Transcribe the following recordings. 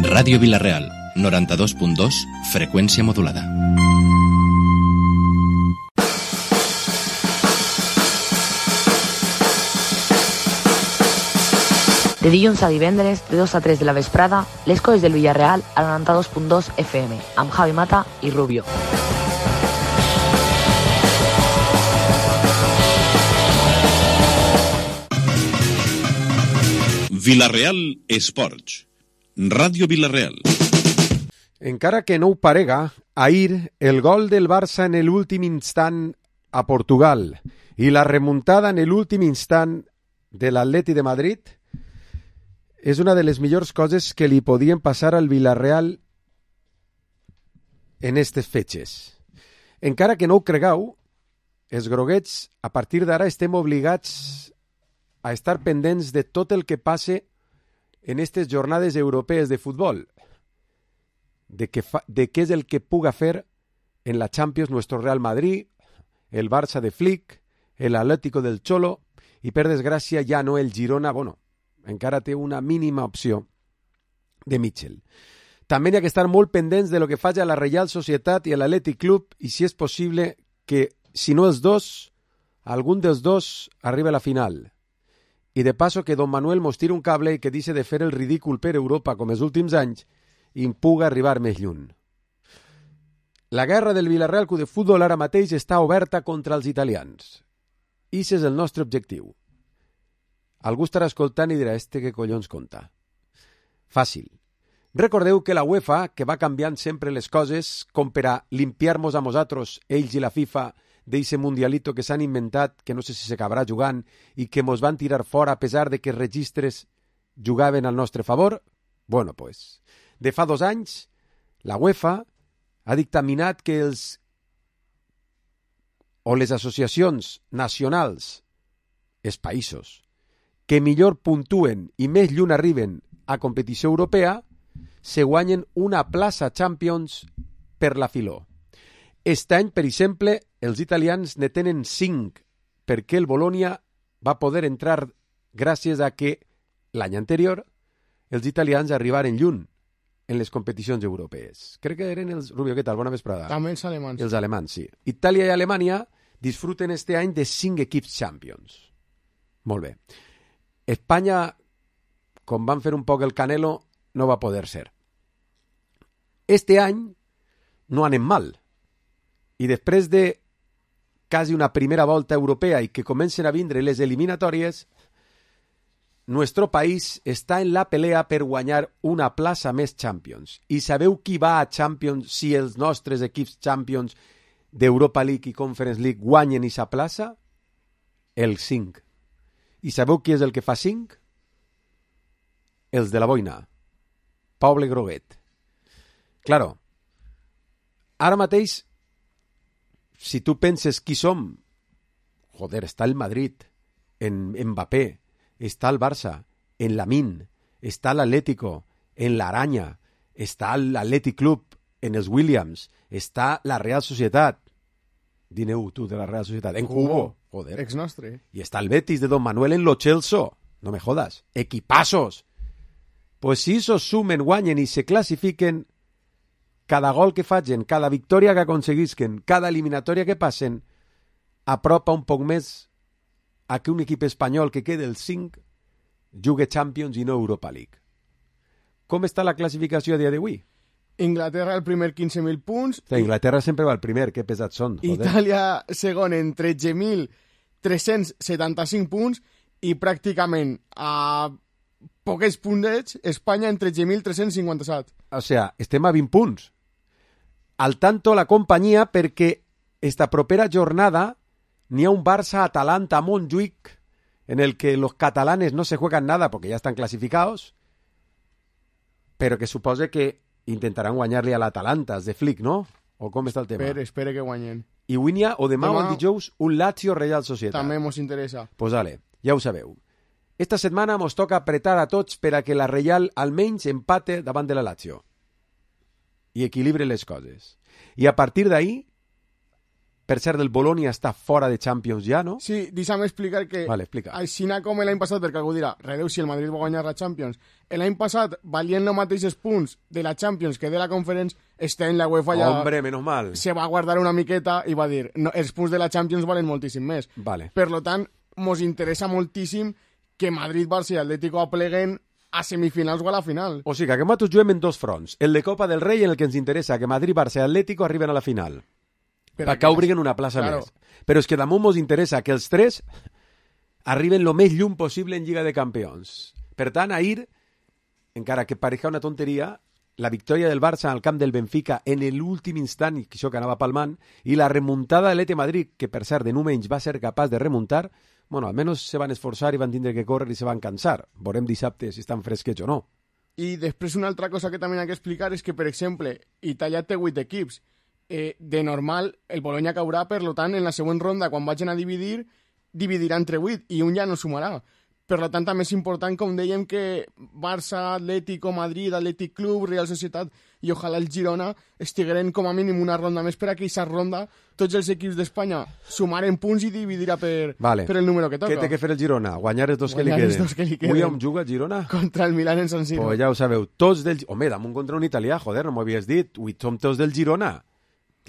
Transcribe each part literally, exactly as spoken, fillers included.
Ràdio Vila-real, noranta-dos punt dos, freqüència modulada. De dilluns a divendres, de dos a tres de la vesprada, les coses del Villarreal a noranta-dos punt dos F M, amb Javi Mata i Rubio. Vila-real Esports. Ràdio Vila-real. Encara que no ho parega, ahir el gol del Barça en l'últim instant a Portugal i la remuntada en l'últim instant de l'Atleti de Madrid és una de les millors coses que li podien passar al Villarreal en aquestes fetges. Encara que no ho cregueu, els groguets a partir d'ara estem obligats a estar pendents de tot el que passe en aquestes jornades europees de futbol, de, que fa, de què és el que puga fer en la Champions nuestro Real Madrid, el Barça de Flick, el Atlético del Cholo, i per desgràcia ja no el Girona, bueno, encara té una mínima opció de Mitchell. També hi ha que estar molt pendents de lo que faci a la Reial Societat i a l'Atlètic Club, i si és possible que, si no els dos, algun dels dos arriba a la final. I de passo que Don Manuel mos tira un cable i que deixi de fer el ridícul per Europa com els últims anys i em puga arribar més lluny. La guerra del Villarreal Club de Futbol ara mateix està oberta contra els italians. I ese és el nostre objectiu. Algú estarà escoltant i dirà, este què collons conta? Fàcil. Recordeu que la UEFA, que va canviant sempre les coses, com per a limpiar-nos a nosaltres, ells i la FIFA, d'eixe mundialito que s'han inventat, que no sé si s'acabarà jugant, i que mos van tirar fora a pesar de que els registres jugaven al nostre favor? Bueno, pues, de fa dos anys, la UEFA ha dictaminat que els o les associacions nacionals, els països, que millor puntuen i més lluny arriben a competició europea, se guanyen una plaça Champions per la filó. Aquest any, per exemple, els italians ne tenen cinc, perquè el Bologna va poder entrar gràcies a que l'any anterior els italians arribaren lluny en les competicions europees. Crec que eren els... Rubio, què tal? Bona vesprada. També els alemans. Els alemans, sí. Itàlia i Alemanya disfruten este any de cinc equips Champions. Molt bé. Espanya, com van fer un poc el Canelo, no va poder ser. Este any no anem mal. I després de quasi una primera volta europea i que comencen a vindre les eliminatòries, nuestro país està en la pelea per guanyar una plaça més Champions. I sabeu qui va a Champions si els nostres equips Champions d'Europa League i Conference League guanyen aquesta plaça? El cinc. I sabeu qui és el que fa cinc? Els de la boina. Poble Groguet. Claro, ara mateix, si tu penses qui som, joder, està el Madrid, en Mbappé, està el Barça, en Lamine, està l'Atlético, en l'Aranya, està l'Atlètic Club, en els Williams, està la Real Societat. Dineu tu de la Real Societat. En Cubo, joder. Ex nostre. I està el Betis de Don Manuel en Lo Celso. No me jodas. Equipassos. Pues si esos sumen, guanyen i se classifiquen, cada gol que facin, cada victòria que aconseguisquen, cada eliminatòria que passen, apropa un poc més a que un equip espanyol que quede el cinc jugui Champions i no Europa League. Com està la classificació a dia d'avui? Inglaterra el primer quinze mil punts. Sí, Inglaterra sempre va al primer, que pesats són. Joder. Itàlia segon en tretze mil tres-cents setanta-cinc punts i pràcticament a poquets puntets Espanya en tretze mil tres-cents cinquanta-set. O sea, estem a vint punts. Al tanto la companyia perquè esta propera jornada n'hi ha un Barça-Atalanta a Montjuïc en el que los catalanes no se juegan nada porque ya están clasificados, pero que supose que intentaran guanyar-li a l'Atalanta, els de Flick, no? O com està el tema? Espere, espere que guanyen. I avui o demà, demà o el dijous, un Lazio Real Societat. També mos interessa. Pues vale, ja ho sabeu. Esta setmana mos toca apretar a tots per a que la Real almenys empate davant de la Lazio i equilibre les coses. I a partir d'ahí, Per cert, el Bologna està fora de Champions ja, no? Sí, deixa'm explicar que Vale, explica. així com l'any passat, perquè algú dirà, redeu si el Madrid va guanyar la Champions, l'any passat, valient els mateixos punts de la Champions que de la Conference, està en la UEFA ja... Hombre, menos mal. Se va guardar una miqueta i va dir, no, els punts de la Champions valen moltíssim més. Vale. Per lo tant, mos interessa moltíssim que Madrid, Barça i Atlético apleguen a semifinals o a la final. O sigui que nosaltres juguem en dos fronts. El de Copa del Rei, en el que ens interessa que Madrid, Barça i Atlético arriben a la final. Però perquè obriguen una plaça claro. més. Però és que damunt ens interessa que els tres arriben lo més lluny possible en Lliga de Campions. Per tant, ahir, encara que pareixia una tonteria, la victòria del Barça al camp del Benfica en l'últim instant, i això que anava palmant, i la remuntada de l'E T Madrid, que per cert de no menys va ser capaç de remuntar, bueno, almenys se van esforçar i van tindre que córrer i se van cansar. Veurem dissabte si estan fresquets o no. I després una altra cosa que també hi ha que explicar és que, per exemple, Itàlia té vuit equips. Eh, de normal, el Bologna caurà, per lo tant, en la següent ronda, quan vagin a dividir, dividirà entre vuit, i un ja no sumarà. Per lo tant, també és important, com dèiem, que Barça, Atlético, Madrid, Atlètic Club, Real Societat i ojalà el Girona estigueren com a mínim una ronda més per a aquesta ronda. Tots els equips d'Espanya sumaren punts i dividirà per, vale. per el número que toca. Què té que fer el Girona? Guanyar els dos, Guanyar que, li els dos que li queden. Avui on juga el Girona? Contra el Milan en San Siro. Pues ja ho sabeu, tots del... Home, damunt contra un italià, joder, no m'ho havies dit. Avui som tots del Girona.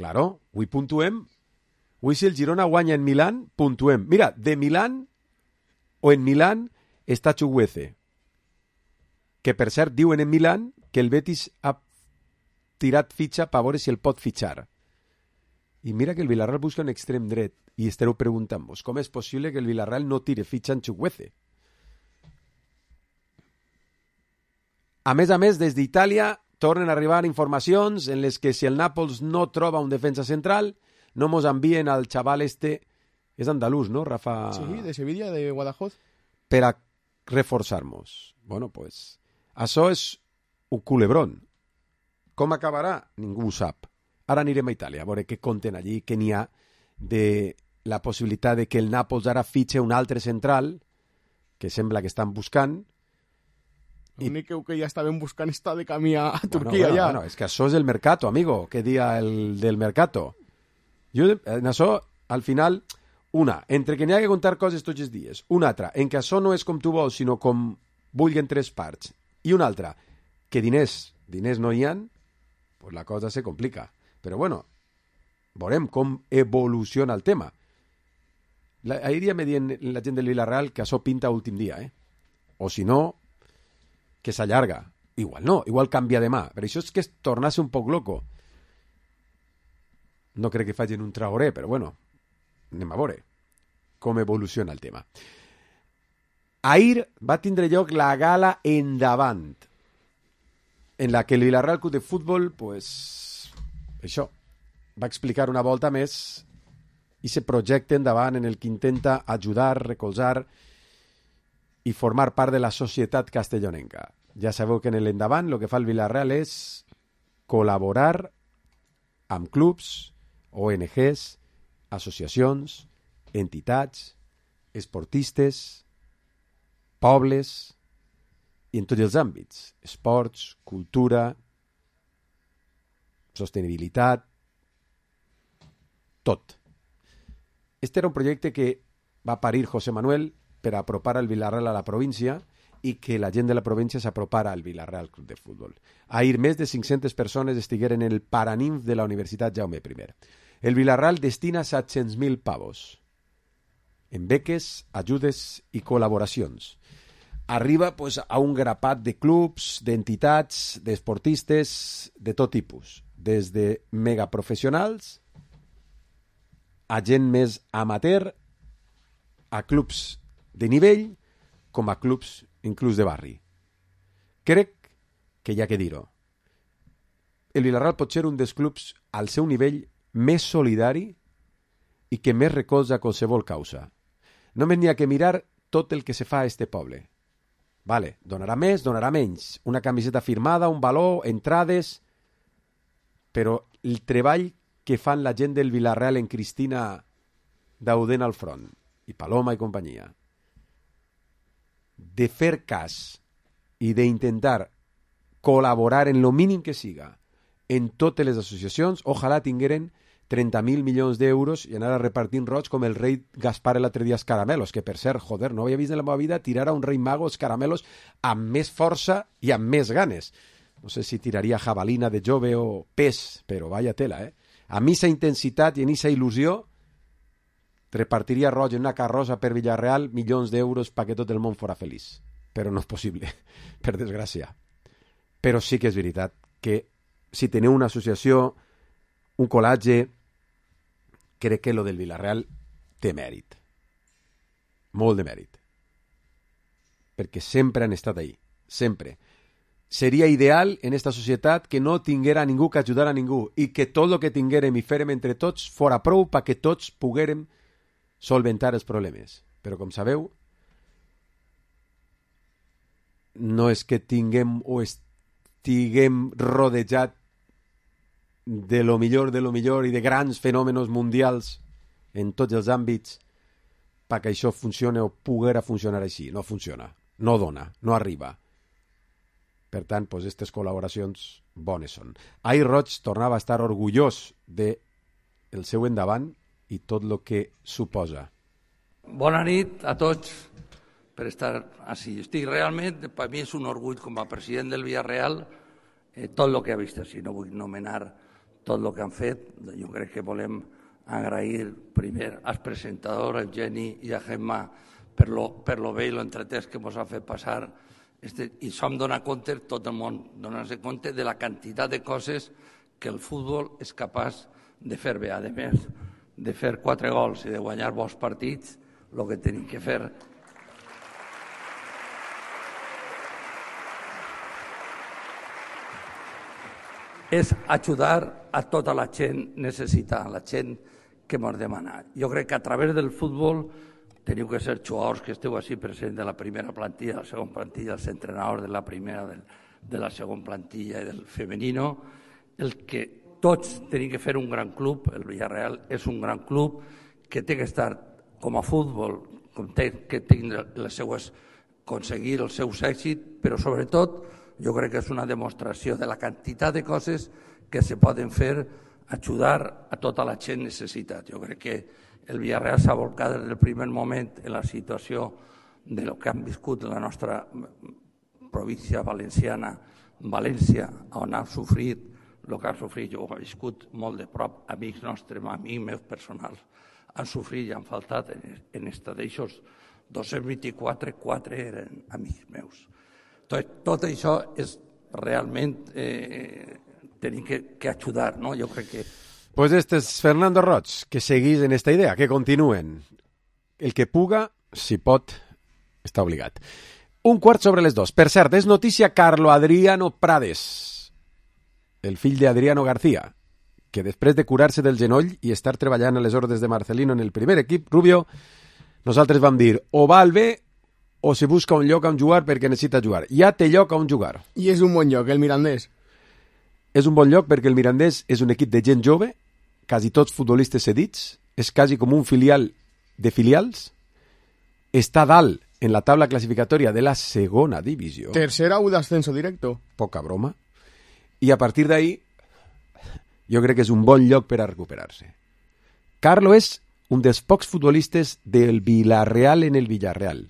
Claro, avui puntuem. Avui si el Girona guanya en Milán, puntuem. Mira, de Milán o en Milán està Chukwueze, que per cert diuen en Milán que el Betis ha tirat fitxa per veure si el pot fitxar. I mira que el Villarreal busca un extrem dret i estareu preguntant-vos com és possible que el Villarreal no tire fitxa en Chukwueze. A més a més, des d'Itàlia tornen a arribar informacions en les que si el Nàpols no troba un defensa central, no mos envien al xaval este, és andalús, no, Rafa? Sí, de Sevilla, de Guadajoz. Per a reforçar-nos. Bueno, pues, això és un culebrón. Com acabarà? Ningú ho sap. Ara anirem a Itàlia, a veure què conten allí, què n'hi ha de la possibilitat de que el Nàpols ara fitxe un altre central, que sembla que estan buscant. L'únic que ja estaven buscant està de camí a Turquia, bueno, bueno, ja. Bueno, és que això és el mercato, amigo. Què dia el del mercato? Jo, en això, al final... Una, entre que n'hi ha que contar coses tots els dies. Una altra, en que això no és com tu vols, sinó com vulguen tres parts. I una altra, que diners, diners no hi ha, pues la cosa se complica. Però bueno, veurem com evoluciona el tema. La, ahir ja me dient la gent del Villarreal que això pinta últim dia, eh? O si no, que s'allarga. Igual no, igual canvia demà. Però això és que es tornase un poc loco. No crec que facin un Traoré, però bueno, anem a veure com evoluciona el tema. Ahir va tindre lloc la gala Endavant, en la que el Villarreal Club de Futbol, pues, això, va explicar una volta més i se projecte endavant en el que intenta ajudar, recolzar i formar part de la societat castellonenca. Ja sabeu que en l'Endavant el que fa el Villarreal és col·laborar amb clubs, O N Ges, associacions, entitats, esportistes, pobles, i en tots els àmbits, esports, cultura, sostenibilitat, tot. Este era un projecte que va parir José Manuel per apropar el Villarreal a la província i que la gent de la província s'apropara al Villarreal Club de Futbol. Ahir més de cinc-centes persones estigueren en el Paraninf de la Universitat Jaume I. El Villarreal destina set-cents mil pavos en beques, ajudes i col·laboracions. Arriba pues, a un grapat de clubs, d'entitats, d'esportistes, de tot tipus, des de megaprofessionals a gent més amateur, a clubs de nivell, com a clubs inclús de barri. Crec que hi ha que dir-ho. El Villarreal pot ser un dels clubs al seu nivell més solidari i que més recolza qualsevol causa. Només n'hi ha que mirar tot el que se fa a este poble. Vale, donarà més, donarà menys. Una camiseta firmada, un valor, entrades... Però el treball que fan la gent del Villarreal en Cristina Dauden al front, i Paloma i companyia, de fer cas i d'intentar col·laborar en lo mínim que siga en totes les associacions, ojalà tingueren trenta mil milions d'euros i anar a repartir roig com el rei Gaspar l'altre dia els caramelos, que per cert, joder, no havia vist en la meva vida tirar a un rei mago els caramelos amb més força i amb més ganes. No sé si tiraria jabalina de jove o pes, però vaya tela, eh? Amb aquesta intensitat i en aquesta il·lusió repartiria roig en una carrossa per Villarreal milions d'euros perquè tot el món fora feliç. Però no és possible, per desgràcia. Però sí que és veritat que si teniu una associació, un col·latge, crec que lo del Villarreal té mèrit. Molt de mèrit. Perquè sempre han estat ahí. Sempre. Seria ideal en esta societat que no tinguera ningú que ajudar a ningú i que tot el que tinguérem i fèrem entre tots fora prou perquè tots poguérem solventar els problemes. Però com sabeu, no és que tinguem o estiguem rodejat de lo millor de lo millor i de grans fenòmenos mundials en tots els àmbits perquè això funcione o poguera funcionar així. No funciona, no dona, no arriba. Per tant, doncs, aquestes col·laboracions bones són. Ahir Roig tornava a estar orgullós de el seu endavant i tot el que suposa. Bona nit a tots per estar així. Estic realment, per mi és un orgull com a president del Villarreal eh, tot el que ha vist així. No vull nomenar tot el que han fet. Jo crec que volem agrair primer als presentadors, a Eugeni i a Gemma, per lo, per lo bé i lo entretès que ens ha fet passar. Este, I som donar compte, tot el món, donar-se compte de la quantitat de coses que el futbol és capaç de fer bé. A més de fer quatre gols i de guanyar bons partits, el que tenim que fer és ajudar a tota la gent necessitada, la gent que ens demana. Jo crec que a través del futbol teniu que ser jugadors que esteu així presents de la primera plantilla, de la segona plantilla, els entrenadors de la primera, de la segona plantilla i del femenino, el que tots tenim que fer un gran club. El Villarreal és un gran club que té que estar com a futbol, com té que tindre les seues, aconseguir els seus èxits, però sobretot jo crec que és una demostració de la quantitat de coses que se poden fer, ajudar a tota la gent necessitat. Jo crec que el Villarreal s'ha volcat des del primer moment en la situació de lo que han viscut la nostra província valenciana, València, on han sofrit el que han sofrit. Jo ho he viscut molt de prop, amics nostres, amics meus personals, han sofrit i han faltat en estat d'aixòs. dos-cents vint-i-quatre, quatre eren amics meus. Tot, tot això és realment eh, tenim que, que ajudar, no? Jo crec que Pues este es Fernando Roig, que seguís en esta idea, que continuen. El que puga, si pot, està obligat. Un quart sobre les dos. Per cert, és notícia Carlo Adriano Prades, el fill de Adriano García, que després de curar-se del genoll i estar treballant a les ordres de Marcelino en el primer equip, Rubio, nosaltres vam dir, o va al B o se busca un lloc on jugar perquè necessita jugar. Ja té lloc on jugar. I és un bon lloc, el Mirandés. És un bon lloc perquè el Mirandés és un equip de gent jove, quasi tots futbolistes cedits, és quasi com un filial de filials, està dalt en la taula classificatòria de la segona divisió. Tercera u d'ascenso directo. Poca broma. I a partir d'ahí, jo crec que és un bon lloc per a recuperar-se. Carlo és un dels pocs futbolistes del Villarreal en el Villarreal.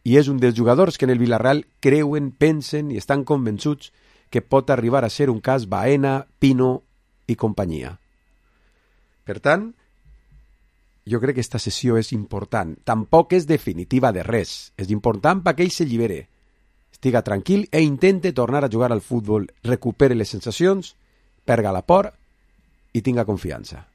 I és un dels jugadors que en el Villarreal creuen, pensen i estan convençuts que pot arribar a ser un cas Baena, Pino i companyia. Per tant, jo crec que aquesta sessió és important. Tampoc és definitiva de res. És important perquè ell s'allibere, estiga tranquil e intente tornar a jugar al futbol, recupere les sensacions, perga la por i tinga confiança.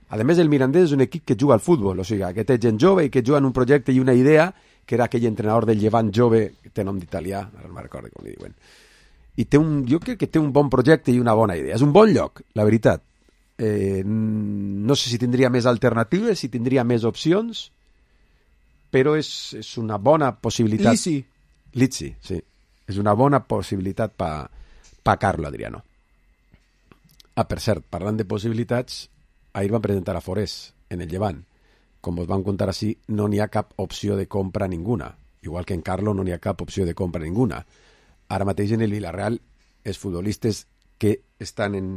A més, el Mirandés és un equip que juga al futbol, o sigui, que té gent jove i que juga en un projecte i una idea, que era aquell entrenador del Llevant jove, que té nom d'italià, ara no me'n recordo com li diuen. I té un, jo crec que té un bon projecte i una bona idea. És un bon lloc, la veritat. Eh, no sé si tindria més alternatives, si tindria més opcions, però és, és una bona possibilitat. Lizzi. Lizzi, sí. És una bona possibilitat per pa Carlo Adriano. Ah, per cert, parlant de possibilitats, ahir van presentar a Forés en el Llevant. Com us van contar així, no n'hi ha cap opció de compra ninguna. Igual que en Carlo no n'hi ha cap opció de compra ninguna. Ara mateix en el Villarreal els futbolistes que estan en,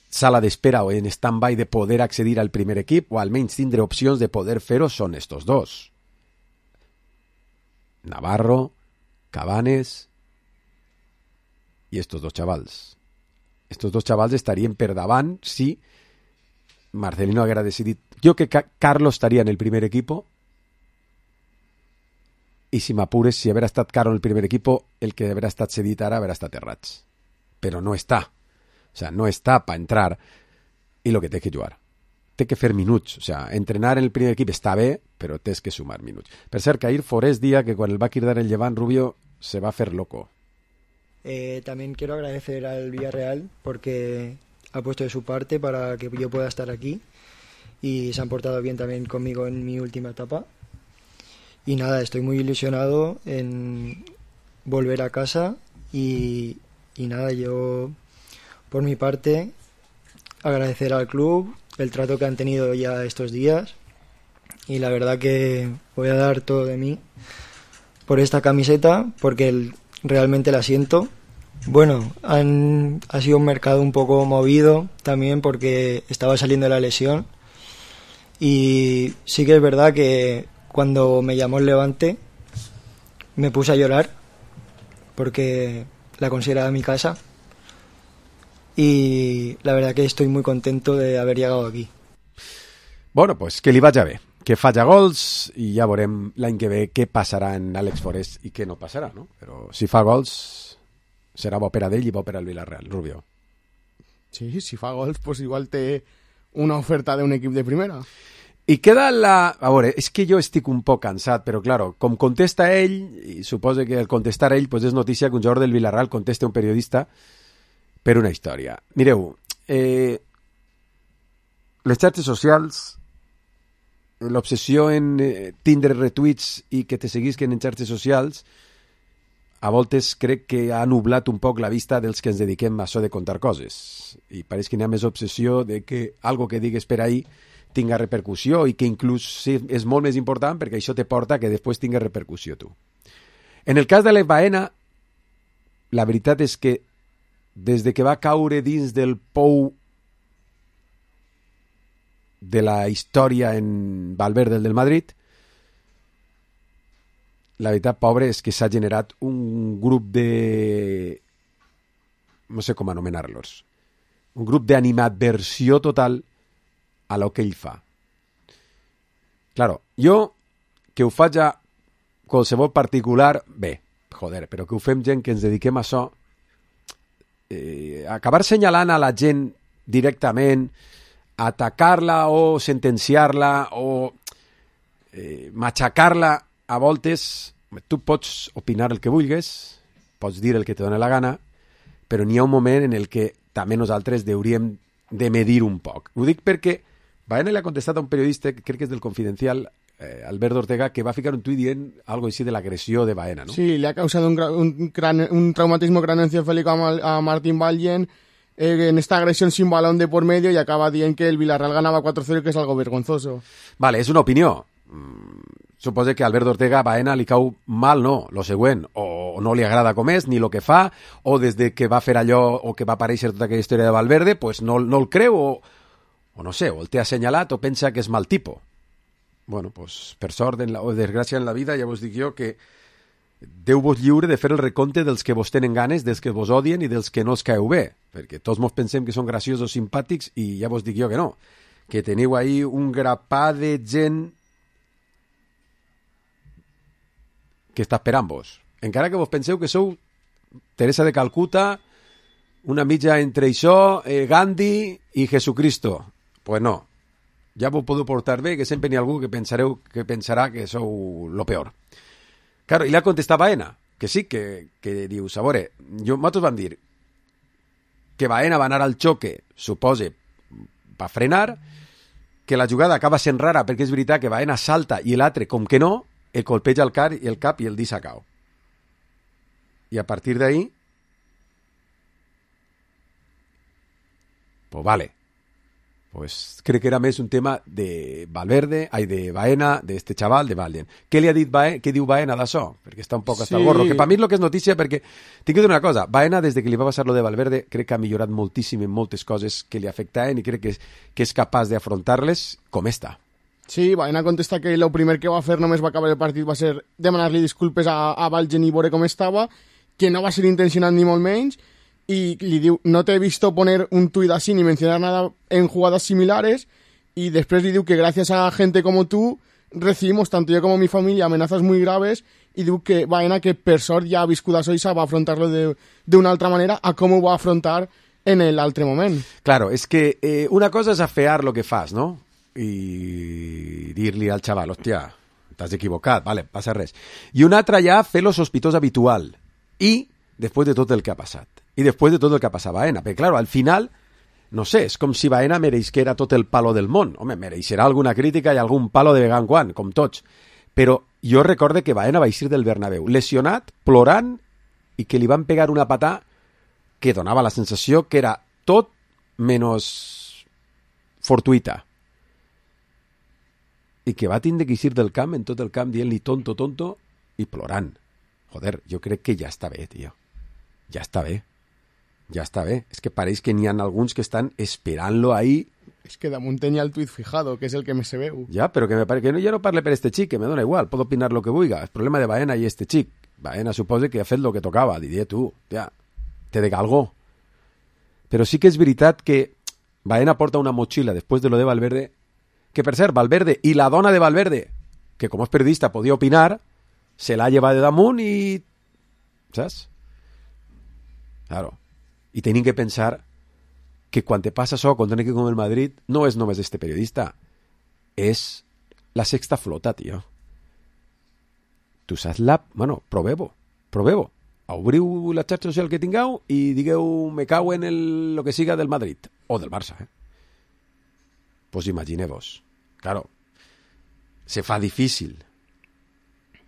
sala d'espera o en stand-by de poder accedir al primer equip, o almenys tindre opcions de poder fer-ho, són estos dos. Navarro, Cabanes i estos dos xavals. Estos dos xavals estarien per davant si Marcelino haguera decidit. Jo que Ca- Carlos estaria en el primer equipo, i si m'apures, si haver estat Caro en el primer equipo, el que haver estat cedit ara haver estat Errats. Però no està. O sea, no està per entrar i lo que té que jugar. Té que fer minuts. O sea, entrenar en el primer equip està bé, però tens que sumar minuts. Per cert, Cair Forés dia que quan el va quitar el Llevant, Rubio se va a fer loco. Eh, también quiero agradecer al Villarreal porque ha puesto de su parte para que yo pueda estar aquí y se han portado bien también conmigo en mi última etapa. Y nada, estoy muy ilusionado en volver a casa y, y nada, yo por mi parte agradecer al club el trato que han tenido ya estos días y la verdad que voy a dar todo de mí por esta camiseta porque el, realmente la siento. Bueno, han, ha sido un mercado un poco movido también porque estaba saliendo de la lesión y sí que es verdad que cuando me llamó el Levante me puse a llorar porque la consideraba mi casa y la verdad que estoy muy contento de haber llegado aquí. Bueno, pues que li vagi bé, que falla gols i ja veurem l'any que ve què passarà en Àlex Forés i què no passarà, no? Però si fa gols serà bo per a ell i bo per al Villarreal, Rubio. Sí, si fa gols, pues igual té una oferta d'un equip de primera. I queda la... A veure, és que jo estic un poc cansat, però claro, com contesta ell, i suposo que al contestar ell pues és notícia que un jugador del Villarreal conteste a un periodista per una història. Mireu, eh, les xarxes socials, l'obsessió en eh, tindre retuits i que te seguisquen en xarxes socials, a voltes crec que ha nublat un poc la vista dels que ens dediquem a això de contar coses. I pareix que n'hi ha més obsessió de que algo que digues per ahí tinga repercussió i que inclús sí, és molt més important perquè això te porta que després tinga repercussió tu. En el cas de l'Ef Baena, la veritat és que des de que va caure dins del pou de la història en Valverde del Madrid, la veritat, pobre, és que s'ha generat un grup de... no sé com anomenar-los. Un grup d'animadversió total a lo que ell fa. Claro, jo, que ho faig a qualsevol particular, bé, joder, però que ho fem gent que ens dediquem a això, eh, acabar senyalant a la gent directament, atacar-la o sentenciar-la o eh, matxacar-la a voltes, tu pots opinar el que vulguis, pots dir el que te dona la gana, però n'hi ha un moment en el que també nosaltres hauríem de medir un poc. Ho dic perquè Baena le ha contestat a un periodista, crec que és del Confidencial, eh, Alberto Ortega, que va ficar un tuit dient algo així de l'agressió de Baena, ¿no? Sí, le ha causado un, un, crane, un traumatismo craneoencefálico a, a Martín Vallen eh, en esta agresión sin balón de por medio y acaba dient que el Villarreal ganaba cuatro cero, que és algo vergonzoso. Vale, és una opinió. Mm, suposo que a Alberto Ortega a Baena li cau mal, no, lo següent, o no li agrada com és, ni lo que fa, o des de que va fer allò o que va aparèixer tota aquella història de Valverde, pues no, no el creu, o o no sé, o el té assenyalat o pensa que és mal tipo. Bueno, pues, per sort en la, o desgràcia en la vida, ja vos dic jo que Déu vos lliure de fer el recompte dels que vos tenen ganes, dels que vos odien i dels que no els caeu bé, perquè tots mos pensem que són graciosos, simpàtics, i ja vos dic jo que no, que teniu ahí un grapà de gent que està esperant vos. Encara que vos penseu que sou Teresa de Calcuta, una mitja entre això, eh, Gandhi i Jesucristo. Pues no, ja vos podeu portar bé, que sempre n'hi ha algú que pensareu que pensarà que sou lo peor. Claro, i l'ha contestat Baena, que sí, que, que dius, a veure, jo, nosaltres vam dir que Baena va anar al xoque, supose, va frenar, que la jugada acaba sent rara perquè és veritat que Baena salta i l'altre, com que no, el colpeja el, car, el cap i el deixa cau. I a partir d'ahí, pues vale, pues crec que era més un tema de Valverde, ai, de Baena, d'este xaval, de Valden. Què li ha dit Baena? Què diu Baena d'això? Perquè està un poc hasta Sí. el gorro. Que per mi és el que és notícia, perquè tinc que dir una cosa. Baena, des de que li va passar lo de Valverde, crec que ha millorat moltíssim en moltes coses que li afectaven i crec que és, que és capaç d'afrontar-les com està. Sí, Baena contesta que el primer que va fer només va acabar el partit va ser demanar-li disculpes a, a Valgen i veure com estava, que no va ser intencionat ni molt menys, y le diu, no te he visto poner un tuit así ni mencionar nada en jugadas similares, y después le diu que gracias a gente como tú recibimos, tanto yo como mi familia, amenazas muy graves, y diu que Baena, que per sort ja ha viscut això i va afrontar-lo d'una altra manera a com ho va afrontar en l'altre moment. Claro, és que eh, una cosa és afear lo que fas, no? I dir-li al xaval, hòstia, t'has equivocat, vale, passa res. I una altra ja fer lo sospitós habitual. I després de tot el que ha passat. I després de tot el que ha passat a Baena. Perquè, claro, al final, no sé, és com si Baena mereixera tot el palo del món. Home, mereixerà alguna crítica i algun palo de vegant quan, com tots. Però jo recorde que Baena va eixir del Bernabéu lesionat, plorant, i que li van pegar una patà que donava la sensació que era tot menys fortuita. I que va tindre que eixir del camp, en tot el camp, dient-li tonto, tonto, i plorant. Joder, jo crec que ja està bé, tio. Ja està bé. Ja està bé. És que pareix que n'hi ha alguns que estan esperant-lo ahí. És que damunt tenia el tuit fijado, que és el que més se veu. Ja, però que, me pare... que no, ja no parle per este xic, que me dona igual, puedo opinar lo que vulga. El problema de Baena i este xic. Baena supose que ha fet lo que tocava. Diria tu, ja, te de galgó. Però sí que és veritat que Baena porta una motxilla després de lo de Valverde, que per cert, Valverde i la dona de Valverde, que com és periodista podia opinar, se l'ha llevat de damunt i... saps? Claro. I tenim que pensar que quan te passa això contra un equip com el Madrid no és només este periodista, és la sexta flota, tio. Tu saps la... Bueno, proveu-ho, proveu-ho. Obriu la xarxa social que tingueu i digueu me cau en el, lo que siga del Madrid o del Barça, eh? Pues imagineu-vos. Claro, se fa difícil.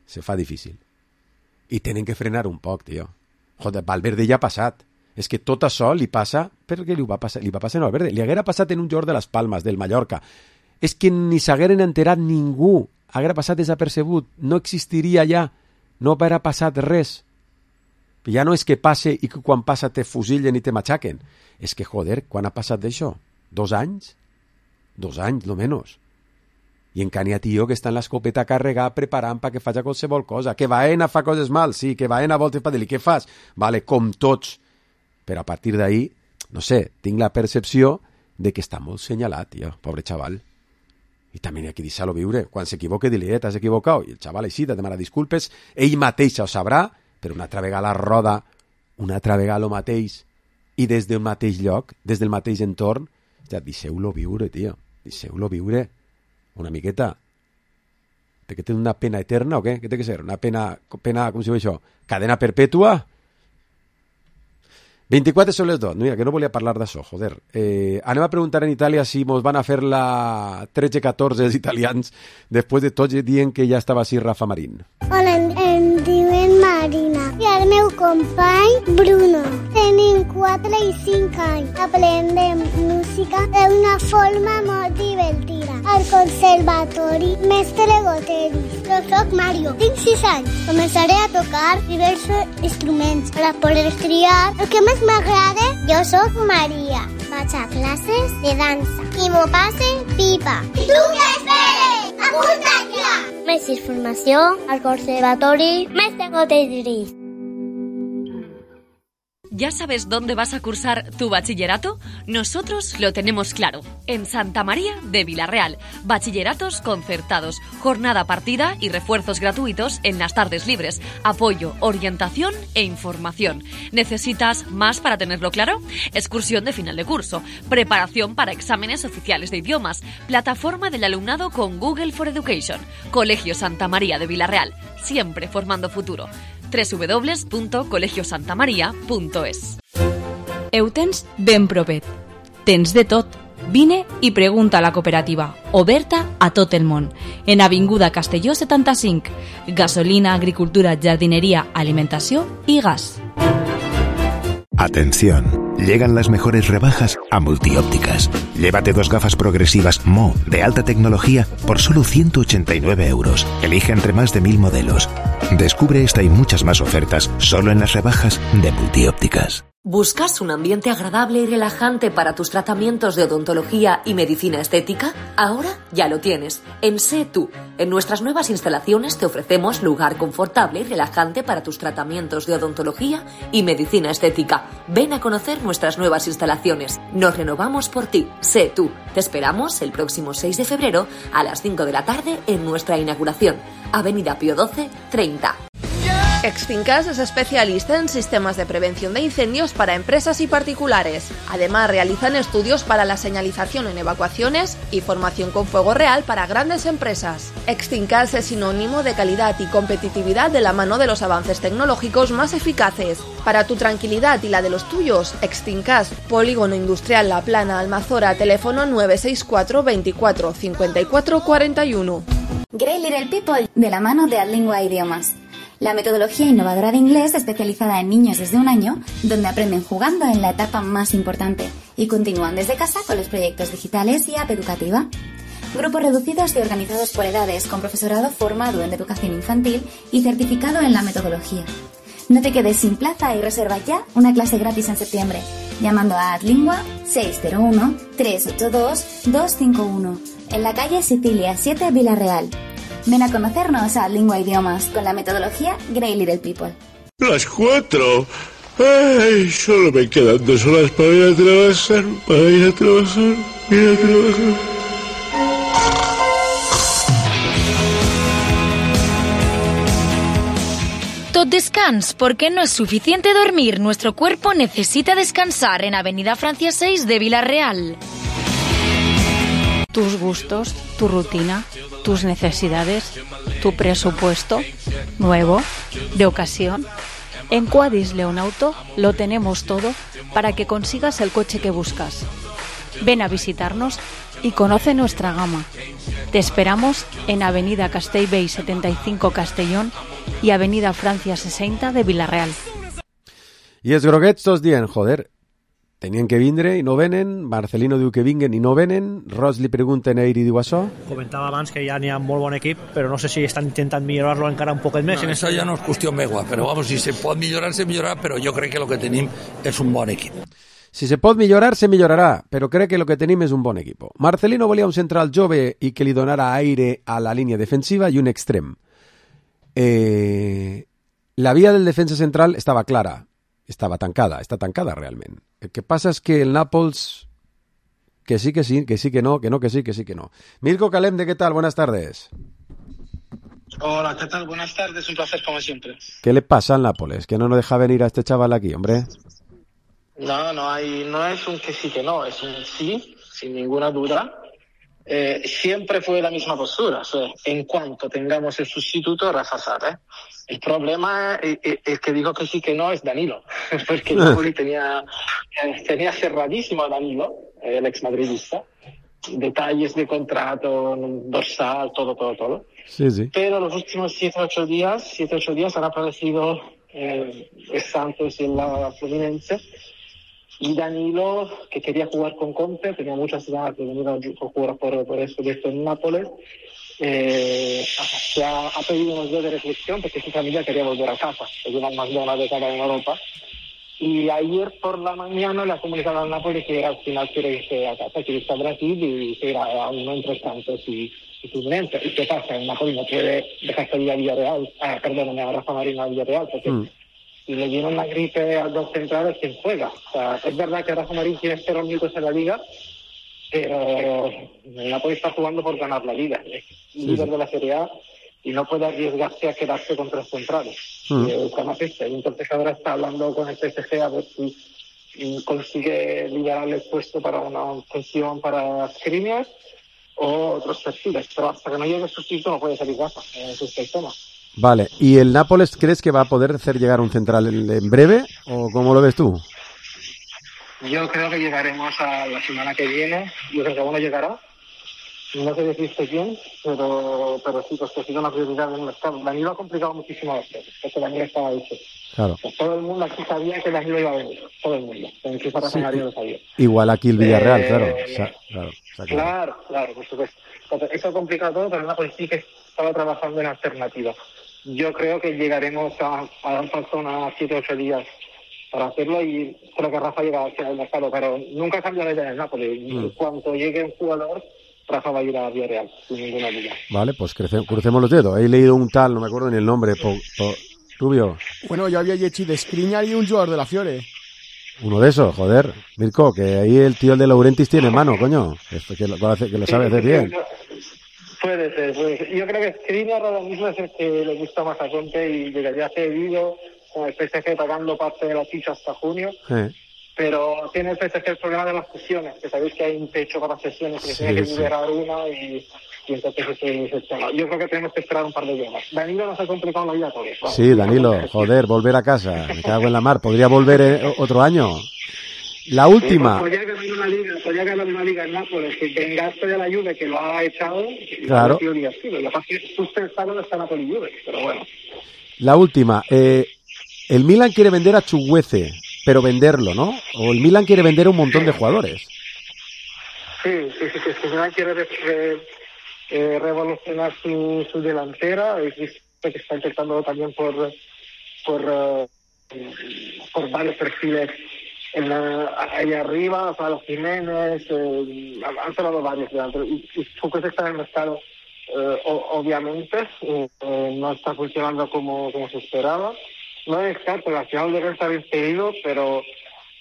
Se fa difícil. I tenen que frenar un poc, tio. Joder, Valverde ja ha passat. És que tot això li passa... Per què li va passar? Li va passar a Valverde. Li haguera passat en un joc de les Palmes, del Mallorca. És que ni s'hagueren enterat ningú. Haguera passat desapercebut. No existiria ja. No haguera passat res. Ja no és que passe i que quan passa te fusillen i te matxaquen. És que, joder, quan ha passat d'això? Dos anys? Dos anys, no menys. I en Cania, tio, que està en l'escopeta carregar preparant perquè faci qualsevol cosa. Que Baena fa coses mal, sí, que Baena volta per dir-li, què fas? Vale, com tots. Però a partir d'ahí, no sé, tinc la percepció de que està molt senyalat, tio, pobre xaval. I també hi ha que deixar-lo viure. Quan s'equivoque, dir-li, eh, t'has equivocat. I el xaval així, te demana disculpes. Ell mateix ho sabrà, però una altra vegada la roda, una altra vegada el mateix, i des del mateix lloc, des del mateix entorn, ja, deixeu-lo viure, tio. Deixeu-lo viure. Una miqueta. Té que tenir una pena eterna o què? Què té que ser? Una pena, pena com si diu això? Cadena perpètua? vint-i-quatre són les dos. Mira, que no volia parlar d'això, joder. Eh, anem a preguntar en Itàlia si mos van a fer la tretze catorze els italians després de tots dient que ja estava així Rafa Marín. Hola, em, em diuen Marina i el meu company Bruno. Tenim quatre i cinc anys. Aprendem música d'una forma molt divertida. Al conservatori Mestre Goteris. Jo soc Mario, tinc sis anys. Començaré a tocar diversos instruments per a poder triar el que més m'agrada. Jo soc Maria. Vaig a classes de dansa i m'ho passe pipa. I tu què esperes? Apunta't ja! Més informació al conservatori Mestre Goteris. ¿Ya sabes dónde vas a cursar tu bachillerato? Nosotros lo tenemos claro. En Santa María de Vilarreal. Bachilleratos concertados, jornada partida y refuerzos gratuitos en las tardes libres. Apoyo, orientación e información. ¿Necesitas más para tenerlo claro? Excursión de final de curso. Preparación para exámenes oficiales de idiomas. Plataforma del alumnado con Google for Education. Colegio Santa María de Vilarreal. Siempre formando futuro. doble u doble u doble u punt colegio santa maria punt es. Ho tens ben propet. Tens de tot. Vine i pregunta a la cooperativa, oberta a tot el món. En Avinguda Castelló setanta-cinc. Gasolina, agricultura, jardineria, alimentació i gas. Atención. Llegan las mejores rebajas a Multiópticas. Llévate dos gafas progresivas M O de alta tecnología por solo ciento ochenta y nueve euros. Elige entre más de mil modelos. Descubre esta y muchas más ofertas solo en las rebajas de Multiópticas. ¿Buscas un ambiente agradable y relajante para tus tratamientos de odontología y medicina estética? Ahora ya lo tienes. En Sé Tú. En nuestras nuevas instalaciones te ofrecemos lugar confortable y relajante para tus tratamientos de odontología y medicina estética. Ven a conocer nuestras nuevas instalaciones. Nos renovamos por ti. Sé Tú. Te esperamos el próximo seis de febrero a las cinco de la tarde en nuestra inauguración. Avenida Pío doce, treinta. Extincas es especialista en sistemas de prevención de incendios para empresas y particulares. Además, realizan estudios para la señalización en evacuaciones y formación con fuego real para grandes empresas. Extincas es sinónimo de calidad y competitividad de la mano de los avances tecnológicos más eficaces. Para tu tranquilidad y la de los tuyos, Extincas, Polígono Industrial La Plana, Almazora, teléfono nueve seis cuatro veinticuatro cincuenta y cuatro cuarenta y uno. Great Little People, de la mano de Adlingua Idiomas. La metodología innovadora de inglés especializada en niños desde un año, donde aprenden jugando en la etapa más importante y continúan desde casa con los proyectos digitales y app educativa. Grupos reducidos y organizados por edades, con profesorado formado en educación infantil y certificado en la metodología. No te quedes sin plaza y reserva ya una clase gratis en septiembre, llamando a Adlingua seis cero uno, tres ocho dos, dos cinco uno, en la calle Sicilia siete, Villarreal. Ven a conocernos a Lingua Idiomas con la metodología Great Little People. Las cuatro. Ay, solo me quedan dos horas para ir a trabajar, para ir a trabajar, ir a trabajar. Tot descans, porque no es suficiente dormir. Nuestro cuerpo necesita descansar en Avenida Francia seis de Villarreal. Tus gustos, tu rutina, tus necesidades, tu presupuesto, nuevo, de ocasión. En Quadis León Auto lo tenemos todo para que consigas el coche que buscas. Ven a visitarnos y conoce nuestra gama. Te esperamos en Avenida Castellbell setenta y cinco Castellón y Avenida Francia sesenta de Villarreal. I els groguets tots dient, joder, tenien que vindre i no venen, Marcelino diu que vinguen i no venen, Ross li pregunta a ell i diu això. Comentava abans que ja n'hi ha molt bon equip, però no sé si estan intentant millorar-lo encara un poquet més. No, eso ya no es cuestión megua, pero vamos, si se pot millorar, se millorarà, però jo crec que lo que tenim és un bon equip. Si se pot millorar, se millorarà, però crec que lo que tenim és un bon equip. Marcelino volia un central jove i que li donara aire a la línia defensiva i un extrem. Eh, la via del defensa central estava clara, estava tancada, està tancada realment. El que passa és que el Nàpols, que sí, que sí, que sí, que no, que no, que sí, que sí, que no. Mirko Calemde, ¿qué tal? Buenas tardes. Hola, ¿qué tal? Buenas tardes, un placer como siempre. ¿Qué le pasa al Nápoles? Que no nos deja venir a este chaval aquí, hombre. No, no hay, no es un que sí, que no, es un sí, sin ninguna duda. Eh, siempre fue la misma postura, o sea, en cuanto tengamos el sustituto, Rafa Sarre. El problema, el, el que dijo que sí, que no, es Danilo, porque el Napoli tenía, tenía cerradísimo a Danilo, el ex madridista, detalles de contrato, dorsal, todo, todo, todo. Sí, sí. Pero los últimos siete, ocho días, siete, ocho días han aparecido eh, el Santos y la Fluminense. Y Danilo, que quería jugar con Conte, tenía muchas ganas de venir a jugar por, por eso de esto en Nápoles, eh, se ha, ha pedido unos días de reflexión porque su familia quería volver a casa, que llevan más de una década en Europa. Y ayer por la mañana le ha comunicado al Nápoles que al final quiere irse a casa, quiere irse a Brasil y se irá a uno entre Santos y, y Fluminense. ¿Y qué pasa? El Nápoles no puede dejar salir a Villarreal, ah, perdóname, a Rafa Marino a Villarreal, porque... Mm. Si le dieron la gripe a dos centrales, ¿quién juega? O sea, es verdad que Rafa Marín tiene cero minutos en la Liga, pero el Napoli está jugando por ganar la Liga. Es sí, líder sí. de la Serie A y no puede arriesgarse a quedarse con tres centrales. Mm. Eh, Entonces ahora está hablando con el P S G a ver si consigue liberarle el puesto para una función para Skriniar o otros perfiles. Pero hasta que no llegue el sustituto no puede salir Rafa. Ese es el tema. Vale, ¿y el Nápoles crees que va a poder hacer llegar un central en, en breve o cómo lo ves tú? Yo creo que llegaremos a la semana que viene, yo creo que uno llegará no sé decirte quién, pero, pero sí, pues que ha sido una prioridad del mercado. Danilo ha complicado muchísimo las cosas, porque Danilo estaba hecho. Claro. Pues todo el mundo aquí sabía que Danilo iba a venir, todo el mundo. En su Sí, Mario lo sabía. igual aquí el Villarreal, Eh, claro. O sea, claro, o sea que- Claro, claro, por supuesto. Entonces, eso ha complicado todo, pero Napoli sí que estaba trabajando en alternativas. Yo creo que llegaremos a, a dar falta unas siete o ocho días para hacerlo y creo que Rafa llega hacia el mercado, pero nunca cambia la idea del Napoli. Mm. Cuando llegue un jugador, Rafa va a ir a Villarreal, sin ninguna duda. Vale, pues crece- crucemos los dedos. He leído un tal, no me acuerdo ni el nombre, po- po- Rubio, Bueno, yo había hecho de Skriniar y un jugador de la Fiore. uno de esos, joder. Mirko, que ahí el tío de Laurentis tiene mano, coño. Que, que lo, que lo sabe hacer bien. Puede ser, puede ser. Yo creo que Skriniar ahora mismo es el que le gusta más a Conte y llegaría cedido con el P S G pagando parte de la ficha hasta junio. Eh, Pero tiene el P S G el problema de las sesiones, que sabéis que hay un techo para sesiones, que Sí, tiene que sí. liberar una y, y entonces ese es el tema. Yo creo que tenemos que esperar un par de días más. Danilo nos ha complicado la vida a todos. Vamos. Sí, Danilo, joder, volver a casa. Me cago en la mar. Podría volver eh, otro año. La última. Podría ganar una liga, podría ganar una liga en Nápoles, que vengaste de la Juve, que lo ha echado. y Claro. ha sido divertido. Lo que pasa es que justo está donde está Napoli y Juve, pero bueno. La última. Eh, el Milan quiere vender a Chuguece, pero venderlo, ¿no? O el Milan quiere vender a un montón de jugadores. Sí, sí, sí, sí, sí, Milan quiere re- re- eh, revolucionar su, su delantera. He visto que está intentando también por por, eh, por varios perfiles en la, ahí arriba, Pablo Jiménez, eh, han sonado varios delanteros. Y, y Chukwueze está en el mercado, eh, o- obviamente, eh, eh, no está funcionando como, como se esperaba. No es descarto, porque al final debe estar bien pedido, pero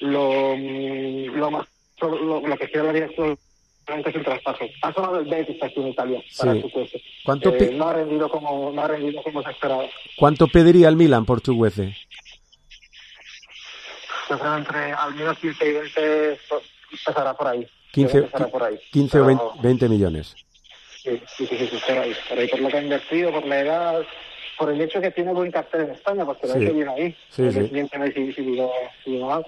lo, mm, lo más lo, lo que quiere la dirección es el traspaso. Ha sonado el Betis aquí en Italia para Sí. Chukwueze. ¿Cuánto Eh, pi- no ha rendido como no ha rendido como se esperaba. ¿Cuánto pediría el Milan por Chuguece? Yo creo entre al menos quince y veinte pasará por ahí. quince, Pasará por ahí. quince o Pero- veinte, veinte millones. Sí, sí, sí, sí, sí, por ahí. Por ahí, por lo que ha invertido, por la edad, por el hecho que tiene buen cartel en España, porque lo ha Sí. hecho bien ahí. Sí, El sí. siguiente mes si, si digo, si digo mal,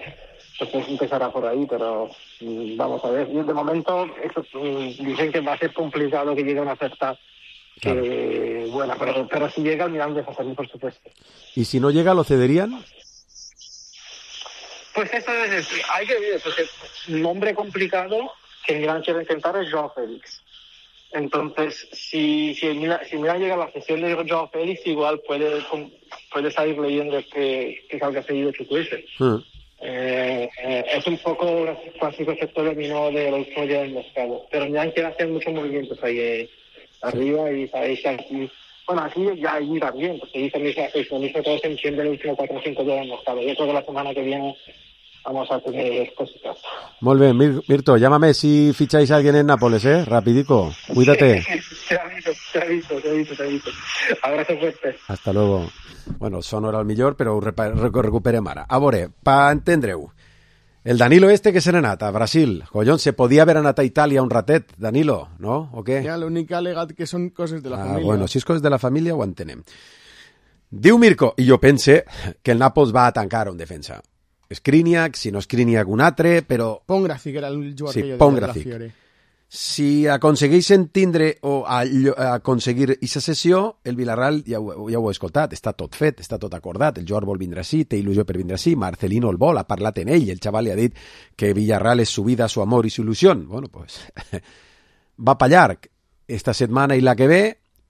pues empezará por ahí, pero mm, vamos a ver. Y de momento, eso, mm, dicen que va a ser complicado que llegue una oferta que, buena, pero, pero si llega, el Milan deja salir, por supuesto. ¿Y si no llega, lo cederían? Pues eso es, hay que ver, porque un nombre complicado que el Milan quiere intentar es Joao Félix. Entonces, si, si, el Milan, si el Milan llega a la sesión de Joao Félix, igual puede, puede salir leyendo que, que salga seguido Chukwueze. Mm. Eh, eh, es un poco un clásico efecto dominó de los últimos días del mercado. Pero el Milan quiere hacer muchos movimientos ahí eh, arriba y sabéis que aquí, bueno, aquí ya allí también, porque ahí también se hace lo mismo, todo se entiende el último cuatro o cinco días del mercado. Yo creo que la semana que viene vamos a tener cositas. Muy bien, Mir- Mirto, llámame si ficháis a alguien en Nápoles, ¿eh? Rapidico. Cuídate. Te aviso, te aviso, te aviso, te aviso. Abrazo fuerte. Hasta luego. Bueno, son hora al millor, però ho repa- recu- recuperem ara. A veure, pa entendre-ho. El Danilo este que se n'ha anat a Brasil. Collons, se podia haver anat a Itàlia un ratet, Danilo, no? O què? Ya, lo único alegat que son cosas de la Ah, familia. bueno, si és coses de la família ho entenem. Diu Mirko, i jo pense que el Nàpols va a tancar un defensa. Skriniar, si no Skriniar un altre, però... Pongracic era el jugador Sí, que yo Pongracic. de la Fiore. Si aconsegueixen tindre o allo- aconseguir aquesta sessió, el Villarreal, ja ho, ja ho he escoltat, està tot fet, està tot acordat, el Joao vol vindre així, té il·lusió per vindre així, Marcelino el vol, ha parlat en ell, el xaval li ha dit que Villarreal és su vida, su amor i su il·lusió. Bueno, pues, va pa llarg. Esta setmana i la que ve,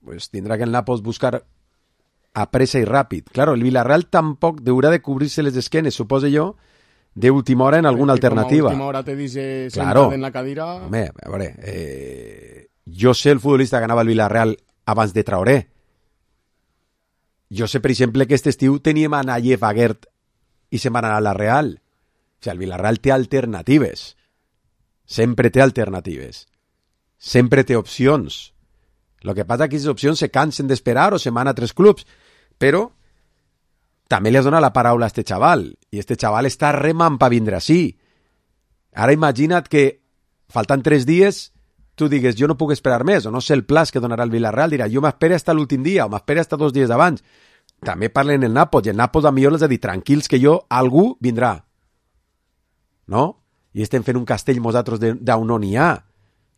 pues tindrà que el Nàpols buscar a pressa i ràpid. Claro, el Villarreal tampoc deurà de cobrir-se les esquenes, suposo jo, de última hora en alguna Que como a alternativa. última hora te dice Claro. sentado en la cadira. Home, a veure, eh, jo sé el futbolista que anava al Villarreal abans de Traoré. Jo sé, per exemple, que aquest estiu teníem a Nayef Aguert i se'n van anar a la Real. O sigui, el Villarreal té alternatives. Sempre té alternatives. Sempre té opcions. Lo que passa que aquestes opcions se cansen d'esperar o se'n van a altres clubs. Però també li has donat la paraula a este xaval. I este xaval està remant per vindre així. Ara imagina't que faltant tres dies tu digues jo no puc esperar més, o no sé el plaç que donarà el Villarreal, dirà jo m'espere hasta l'últim dia, o m'espere hasta dos dies abans. També parlen el Nàpols, i el Nàpols a millor els ha dit tranquils que jo, algú vindrà. No? I estem fent un castell nosaltres d'on no n'hi ha.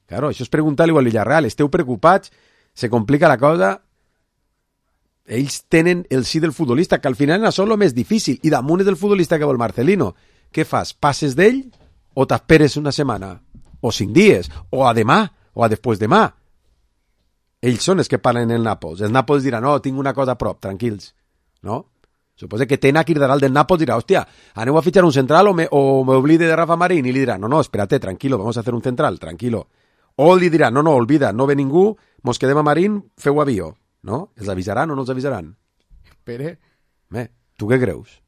Claro, això és preguntar-li al Villarreal. Esteu preocupats? Se complica la cosa? Ells tenen el sí del futbolista, que al final és el més difícil. I damunt és el futbolista que vol Marcelino. Què fas? Passes d'ell o t'esperes una setmana? O cinc dies? O a demà? O a després demà? Ells són els que parlen el Nàpols. El Nàpols dirà, no, tinc una cosa a prop, tranquils. No? Suposa que Tena cridarà el del Nàpols i dirà, hòstia, aneu a fitxar un central o me, o me oblide de Rafa Marín? I li dirà, no, no, espérate, tranquilo, vamos a hacer un central, tranquilo. O li dirà, no, no, olvida, no ve ningú, mos quedem a Marín, feu avió. No? Els avisaran o no els avisaran? Espere. Bé, tu què creus?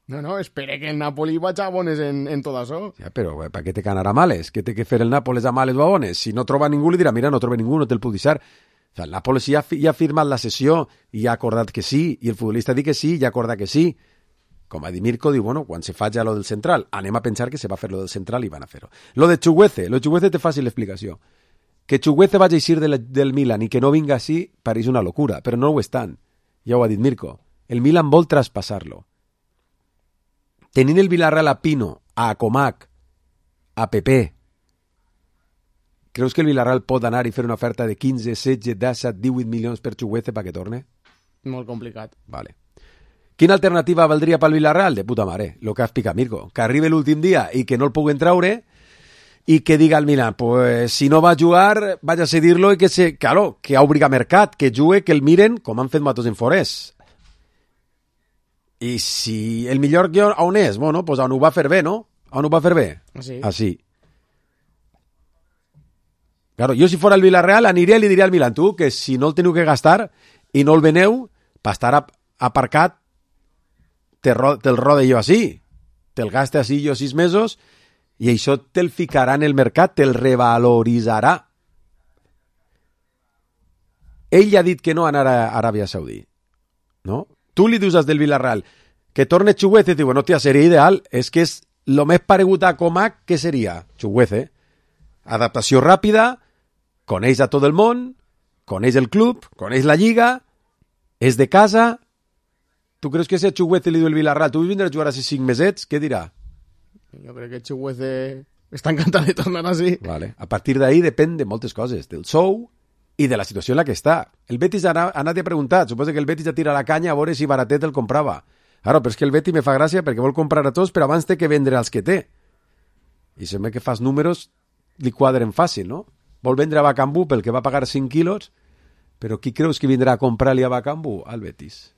No, no, espere que el Napoli vagi a bones en, en tot això. Ja, però per què te canarà males? Què té que fer el Nàpoles a males o a bones? Si no troba ningú, li dirà, mira, no troba ningú, no te'l puc deixar. O sea, el Nàpoles ja, ja ha firmat la sessió i ha acordat que sí, i el futbolista diu que sí i ha acordat que sí. Com a dir Mirko, diu, bueno, quan se faci lo del central, anem a pensar que se va fer lo del central i van a fer-ho. Lo de Chuguece, lo de Chuguece té fàcil l'explicació. Que Chuguece vagi a eixir del, del Milan i que no vinga així pareix una locura, però no ho estan. Ja ho ha dit Mirko. El Milan vol traspassar-lo. Tenint el Villarreal a Pino, a Comac, a Pepe, creus que el Villarreal pot anar i fer una oferta de quinze, setze, disset, divuit milions per Chuguece perquè torne? Molt complicat. Vale. Quina alternativa valdria pel Villarreal? De puta mare, el que ha explicat Mirko. Que arribi l'últim dia i que no el puguen traure i que diga al Milan, pues si no va a jugar, vaig a cedir-lo i que se... Claro, que obriga mercat, que jugue, que el miren, com han fet Matos en Forès. I si el millor guió on és? Bueno, pues on ho va fer bé, no? On ho va fer bé? Així. Així. Claro, jo si fora el Villarreal aniria i li diria al Milan, tu, que si no el teniu que gastar i no el veneu, per estar aparcat, te ro te'l rode jo així. Te'l gaste així jo sis mesos i això te'l ficarà en el mercat, te'l revaloritzarà. Ell ha dit que no anar a Aràbia Saudí. No? Tu li dius als del Villarreal que torne Chuguece i diu, bueno, tia, seria ideal. És que és el més paregut a Comac que seria Chuguece. Adaptació ràpida, coneix a tot el món, coneix el club, coneix la lliga, és de casa. Tu creus que si a Chuguece li diu el Villarreal, tu vindràs a jugar així cinc mesets, què dirà? Jo crec que Chuguece està encantat de tornar així. Vale. A partir d'ahí depèn de moltes coses, del sou i de la situació en la que està. El Betis ha anat i ha preguntat, suposa que el Betis ja tira la canya a veure si baratet el comprava. Claro, però és que el Betis me fa gràcia perquè vol comprar a tots, però abans té que vendre els que té. I sembla que fas números, li quadren fàcil, no? Vol vendre a Bakambu pel que va pagar cinc quilos, però qui creus que vindrà a comprar-li a Bakambu? Al Betis.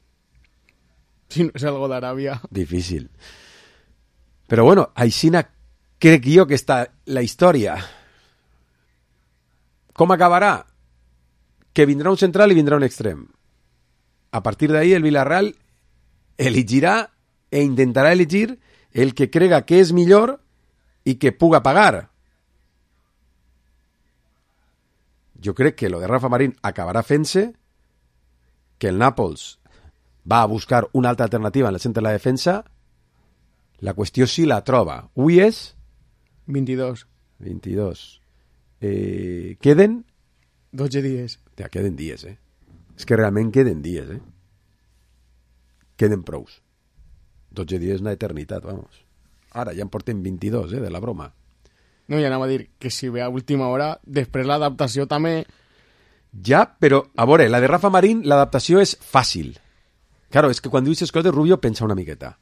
Si no és algo d'Aràbia. Difícil. Però bueno, aixina crec jo que està la història. Com acabarà? Que vindrà un central i vindrà un extrem. A partir d'ahí el Villarreal elegirà e intentarà elegir el que crega que és millor i que puga pagar. Jo crec que lo de Rafa Marín acabarà fent-se, que el Nàpols va a buscar una altra alternativa en el centre de la defensa. La qüestió si la troba. Avui és... vint-i-dos. vint-i-dos. Eh, queden... dotze dies. Ja, queden dies, eh? És que realment queden dies, eh? Queden prous. dotze dies és una eternitat, vamos. Ara ja en portem vint-i-dos, eh, de la broma. No, ja anava a dir que si ve a última hora, després l'adaptació també... Ja, però, a veure, la de Rafa Marín, l'adaptació és fàcil. Claro, és que quan dius les coses, Rubio, pensa una miqueta.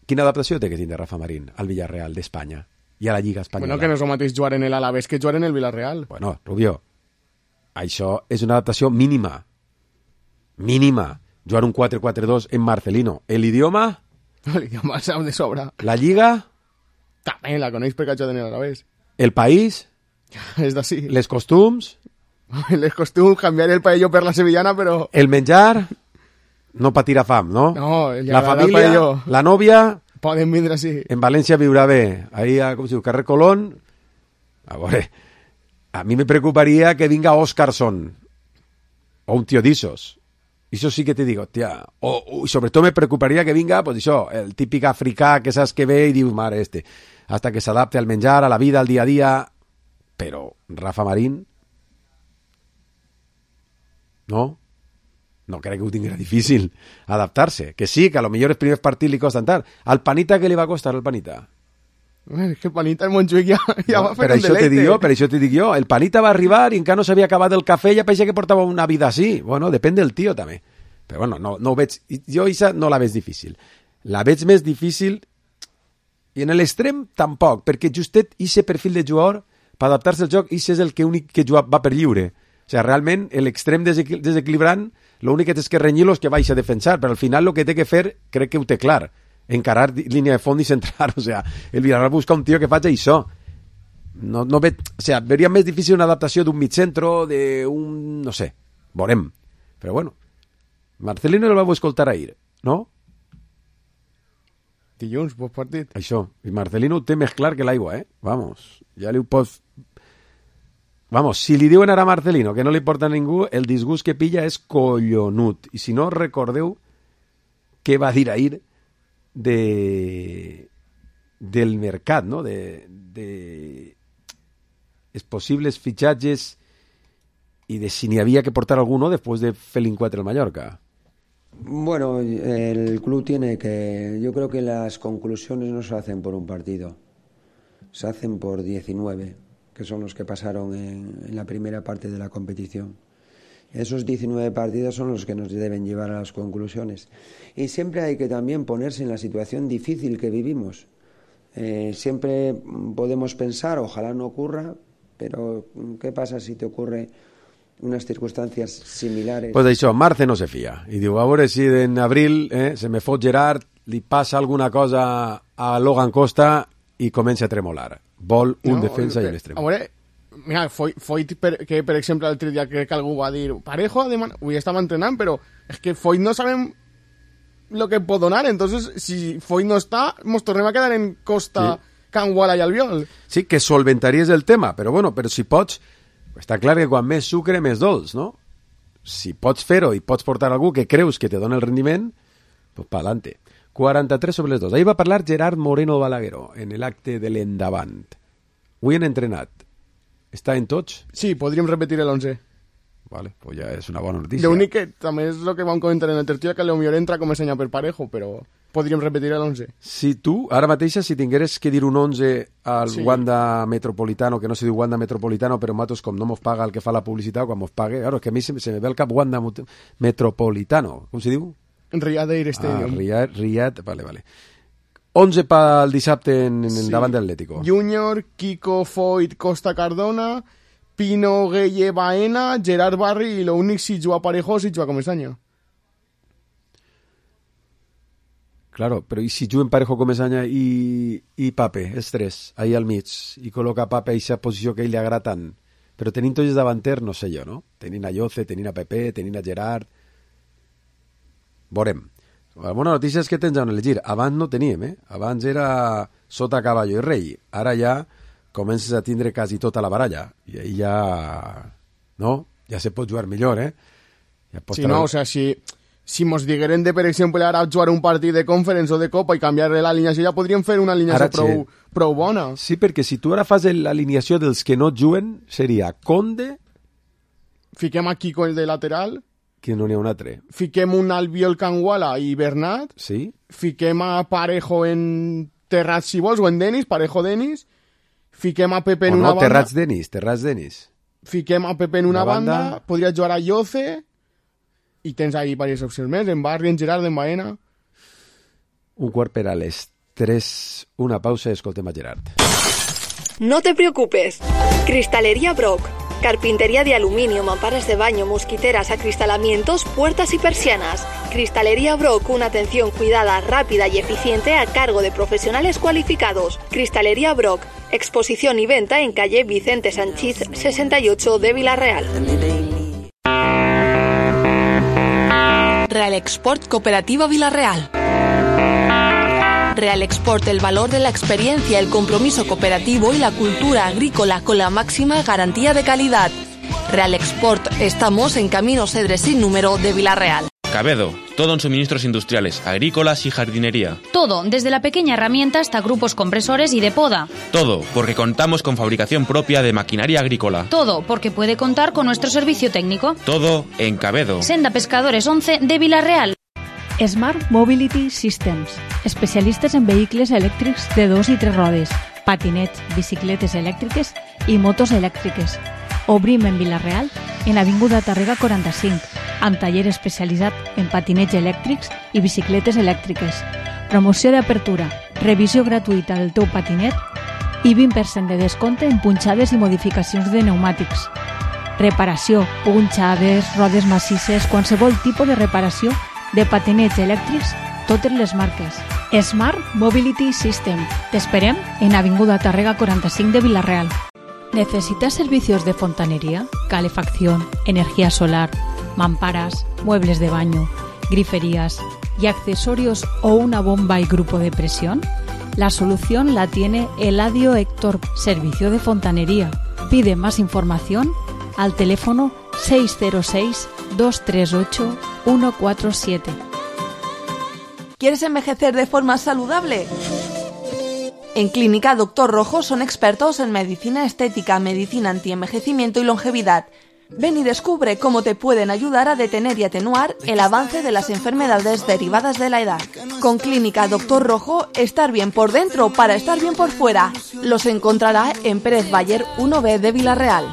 Quina adaptació té que tindre Rafa Marín al Villarreal d'Espanya i a la Lliga Espanyola? Bueno, que no és el mateix jugar en el Alavés que jugar en el Villarreal. Bueno, Rubio, això és una adaptació mínima. Mínima. Jugar un quatre quatre dos en Marcelino. L'idioma? L'idioma el sap de sobra. La Lliga? També la coneix perquè ha jugat en el Alavés. El país? És d'ací. Les costums? Les costums, canviar el paelló per la sevillana, però... El menjar? No patirà fam, no? No, la família, la nòvia... Poden vindre així. En València viurà bé. Ahí, a, com si diu, carrer Colón... A veure, a mi me preocuparia que vinga Óscarson o un tío d'Isos. Això sí que te digo, tia. O, o sobretot me preocuparia que vinga, pues això, el típic africà que saps que ve i diu, mare, este, hasta que s'adapte al menjar, a la vida, al dia a dia. Però Rafa Marín... No? No crec que ho tinguera difícil adaptar-se. Que sí, que a lo millor els primers partits li costen tant. Al Panita, què li va costar al Panita? És que el Panita el Montjuïc ja, ja no, va fer per un això te deleite. dic jo, per això te dic jo. El Panita va arribar i encara no s'havia acabat el cafè i ja pareixia que portava una vida així. Bueno, depèn del tio també. Però bueno, no, no ho veig... Jo Isa no la veig difícil. La veig més difícil i en l'extrem tampoc, perquè justet ixe perfil de jugador per adaptar-se al joc, ixe és el que únic que juga, va per lliure. O sigui, realment, l'extrem desequil desequilibrant, l'únic que té que renyir-lo és que vagi a defensar, però al final el que té que fer, crec que ho té clar. Encarar línia de fons i centrar, o sea, el Villarreal busca un tio que faci això. No, no ve, o sea, veria més difícil una adaptació d'un mitjentro, d'un, no sé, veurem. Però bueno, Marcelino el vau escoltar ahir, no? Dilluns, post partit. Això, i Marcelino ho té més clar que l'aigua, eh? Vamos, ja li ho pots... Vamos, si li diuen ara a Marcelino que no li porta a ningú, el disgust que pilla és collonut. I si no, recordeu què va dir ahir de del mercat, no? De, de els possibles fitxatges i de si n'hi havia que portar alguno després de fer l'encuentro al Mallorca. Bueno, el club tiene que... Yo creo que las conclusiones no se hacen por un partido, se hacen por diecinueve, que son los que pasaron en, en la primera parte de la competición. Esos diecinueve partidos son los que nos deben llevar a las conclusiones. Y siempre hay que también ponerse en la situación difícil que vivimos. Eh, siempre podemos pensar, ojalá no ocurra, pero ¿qué pasa si te ocurre unas circunstancias similares? Pues això, Marce no se fia. I diu, a veure si en abril eh, se me fot Gerard, li passa alguna cosa a Logan Costa i comença a tremolar. Vol un no, defensa i l'extrem. A veure, mira, foi, foi per, que, per exemple, l'altre dia crec que algú va dir Parejo, avui estava entrenant, però és que Foyt no sabem lo que pot donar, entonces si Foyt no està, mos tornem a quedar en Costa, sí. Can Wala i Albiol. Sí, que solventaries el tema, però bueno, però si pots, està clar que quan més sucre, més dolç, no? Si pots fer-ho i pots portar algú que creus que te dona el rendiment, pues pa'lante. quaranta-tres sobre les dos. Ahir va parlar Gerard Moreno Balagueró en l'acte de l'endavant. Avui han entrenat. Està en tots? Sí, podríem repetir l'onze. Vale, pues ja és una bona notícia. L'únic que també és el que vam comentar en el tertúlia, que potser entra com a senya per Parejo, però podríem repetir l'onze. Si tu, ara mateixa, si tingueres que dir un onze al sí. Wanda Metropolitano, que no se diu Wanda Metropolitano, però nosaltres, com no mos paga el que fa la publicitat, quan mos pague, claro, que a mi se, se me ve el cap Wanda Metropolitano. Com se diu? Riyadh Air Stadium. Ah, Riyadh, Riyadh, vale, vale. onze pel dissabte en, en sí. davant de l'Atlético. Junior, Kiko, Foyt, Costa Cardona, Pino, Gueye, Baena, Gerard Barri, i l'únic si juga Parejo si juga Comesaña. Claro, però i si juguen Parejo, Comesaña i, i Pape, els tres, ahí al mig, i col·loca Pape a aquesta posició que ell li agrada tant. Però tenint tots els davanters, no sé jo, no? Tenint a Yoce, tenint a Pepe, tenint a Gerard... Veurem. La bona notícia és que tens on elegir. Abans no teníem, eh? Abans era sota caballo i rei. Ara ja comences a tindre quasi tota la baralla. I ahí ja... No? Ja se pot jugar millor, eh? Ja sí, no, o sea, si, si mos digueren de, per exemple, ara jugar un partit de conference o de copa i canviar-le l'alineació, ja podríem fer una alineació prou, prou bona. Sí, perquè si tu ara fas l'alineació dels que no juguen, seria Conde... Fiquem aquí con el de lateral... Que no n'hi ha un altre. Fiquem un Albiol, Can Wala i Bernat. Sí. Fiquem a Parejo en Terrats, si vols, o en Denis, Parejo Denis. Fiquem a Pepe en o una no, banda. Terrats Denis, Terrats Denis. Fiquem a Pepe en una, una banda. banda. Podria jugar a Yoce. I tens ahí diverses opcions més. En Barri, en Gerard, en Baena. Un quart per a les tres. Una pausa i escoltem a Gerard. No te preocupes. Cristalería Brock. Carpintería de aluminio, mamparas de baño, mosquiteras, acristalamientos, puertas y persianas. Cristalería Brock, una atención cuidada, rápida y eficiente a cargo de profesionales cualificados. Cristalería Brock, exposición y venta en calle Vicente Sanchís sesenta y ocho de Villarreal. Real Export Cooperativa Villarreal. Real Export, el valor de la experiencia, el compromiso cooperativo y la cultura agrícola con la máxima garantía de calidad. Real Export, estamos en Camino Cedres sin número de Villarreal. Cabedo, todo en suministros industriales, agrícolas y jardinería. Todo, desde la pequeña herramienta hasta grupos compresores y de poda. Todo, porque contamos con fabricación propia de maquinaria agrícola. Todo, porque puede contar con nuestro servicio técnico. Todo en Cabedo. Senda Pescadores once de Villarreal. Smart Mobility Systems, especialistes en vehicles elèctrics de dos i tres rodes. patinets, bicicletes elèctriques i motos elèctriques. Obrim en Vila-real, en Avinguda Tàrrega quaranta-cinc, amb taller especialitzat en patinets elèctrics i bicicletes elèctriques. Promoció d'apertura, revisió gratuïta del teu patinet i vint per cent de descompte en punxades i modificacions de pneumàtics. Reparació, punxades, rodes massisses, qualsevol tipus de reparació de patinets elèctrics, totes les marques. Smart Mobility System. T'esperem en Avinguda Tàrrega quaranta-cinc de Vila-real. ¿Necesitas servicios de fontanería, calefacción, energía solar, mamparas, muebles de baño, griferías y accesorios o una bomba y grupo de presión? La solución la tiene Eladio Héctor, Servicio de Fontanería. Pide más información al teléfono seis cero seis, dos tres ocho, uno cuatro siete. ¿Quieres envejecer de forma saludable? En Clínica Doctor Rojo son expertos en medicina estética, medicina antienvejecimiento y longevidad. Ven y descubre cómo te pueden ayudar a detener y atenuar el avance de las enfermedades derivadas de la edad. Con Clínica Doctor Rojo, estar bien por dentro para estar bien por fuera. Los encontrará en Pérez Bayer uno B de Vila-real.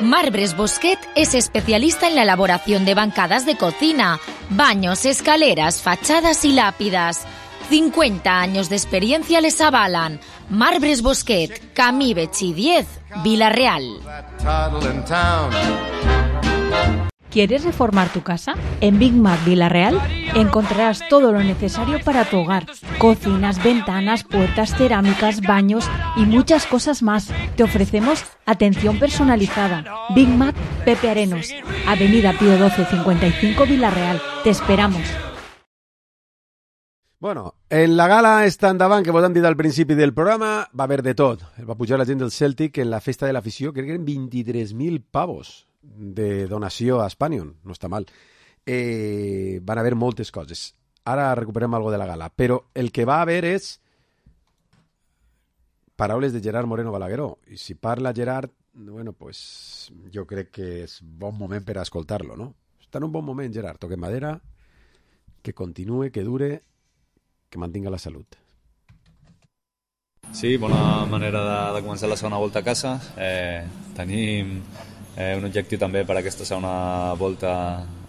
Marbres Bosquet es especialista en la elaboración de bancadas de cocina, baños, escaleras, fachadas y lápidas. cincuenta años de experiencia les avalan. Marbres Bosquet, Camí Betxí diez, Vila-real. ¿Quieres reformar tu casa? En Big Mac Vila-real encontrarás todo lo necesario para tu hogar. Cocinas, ventanas, puertas, cerámicas, baños y muchas cosas más. Te ofrecemos atención personalizada. Big Mac Pepe Arenos, Avenida Pío doce cincuenta y cinco Vila-real. Te esperamos. Bueno, en la gala esta endavant que vos hem dit al principi del programa va haver de tot. Va pujar la gent del Celtic en la festa de l'afició, crec que eren vint-i-tres mil pavos de donació a Spanion, no està mal. Eh, van haver moltes coses. Ara recuperem algo de la gala, però el que va haver és paraules de Gerard Moreno Balagueró. I si parla Gerard, bueno, pues jo crec que és bon moment per a escoltar-lo, no? Està en un bon moment, Gerard. Toque madera, que continue, que dure, que mantinga la salut. Sí, bona manera de, de començar la segona volta a casa. Eh, tenim eh, un objectiu també per aquesta segona volta,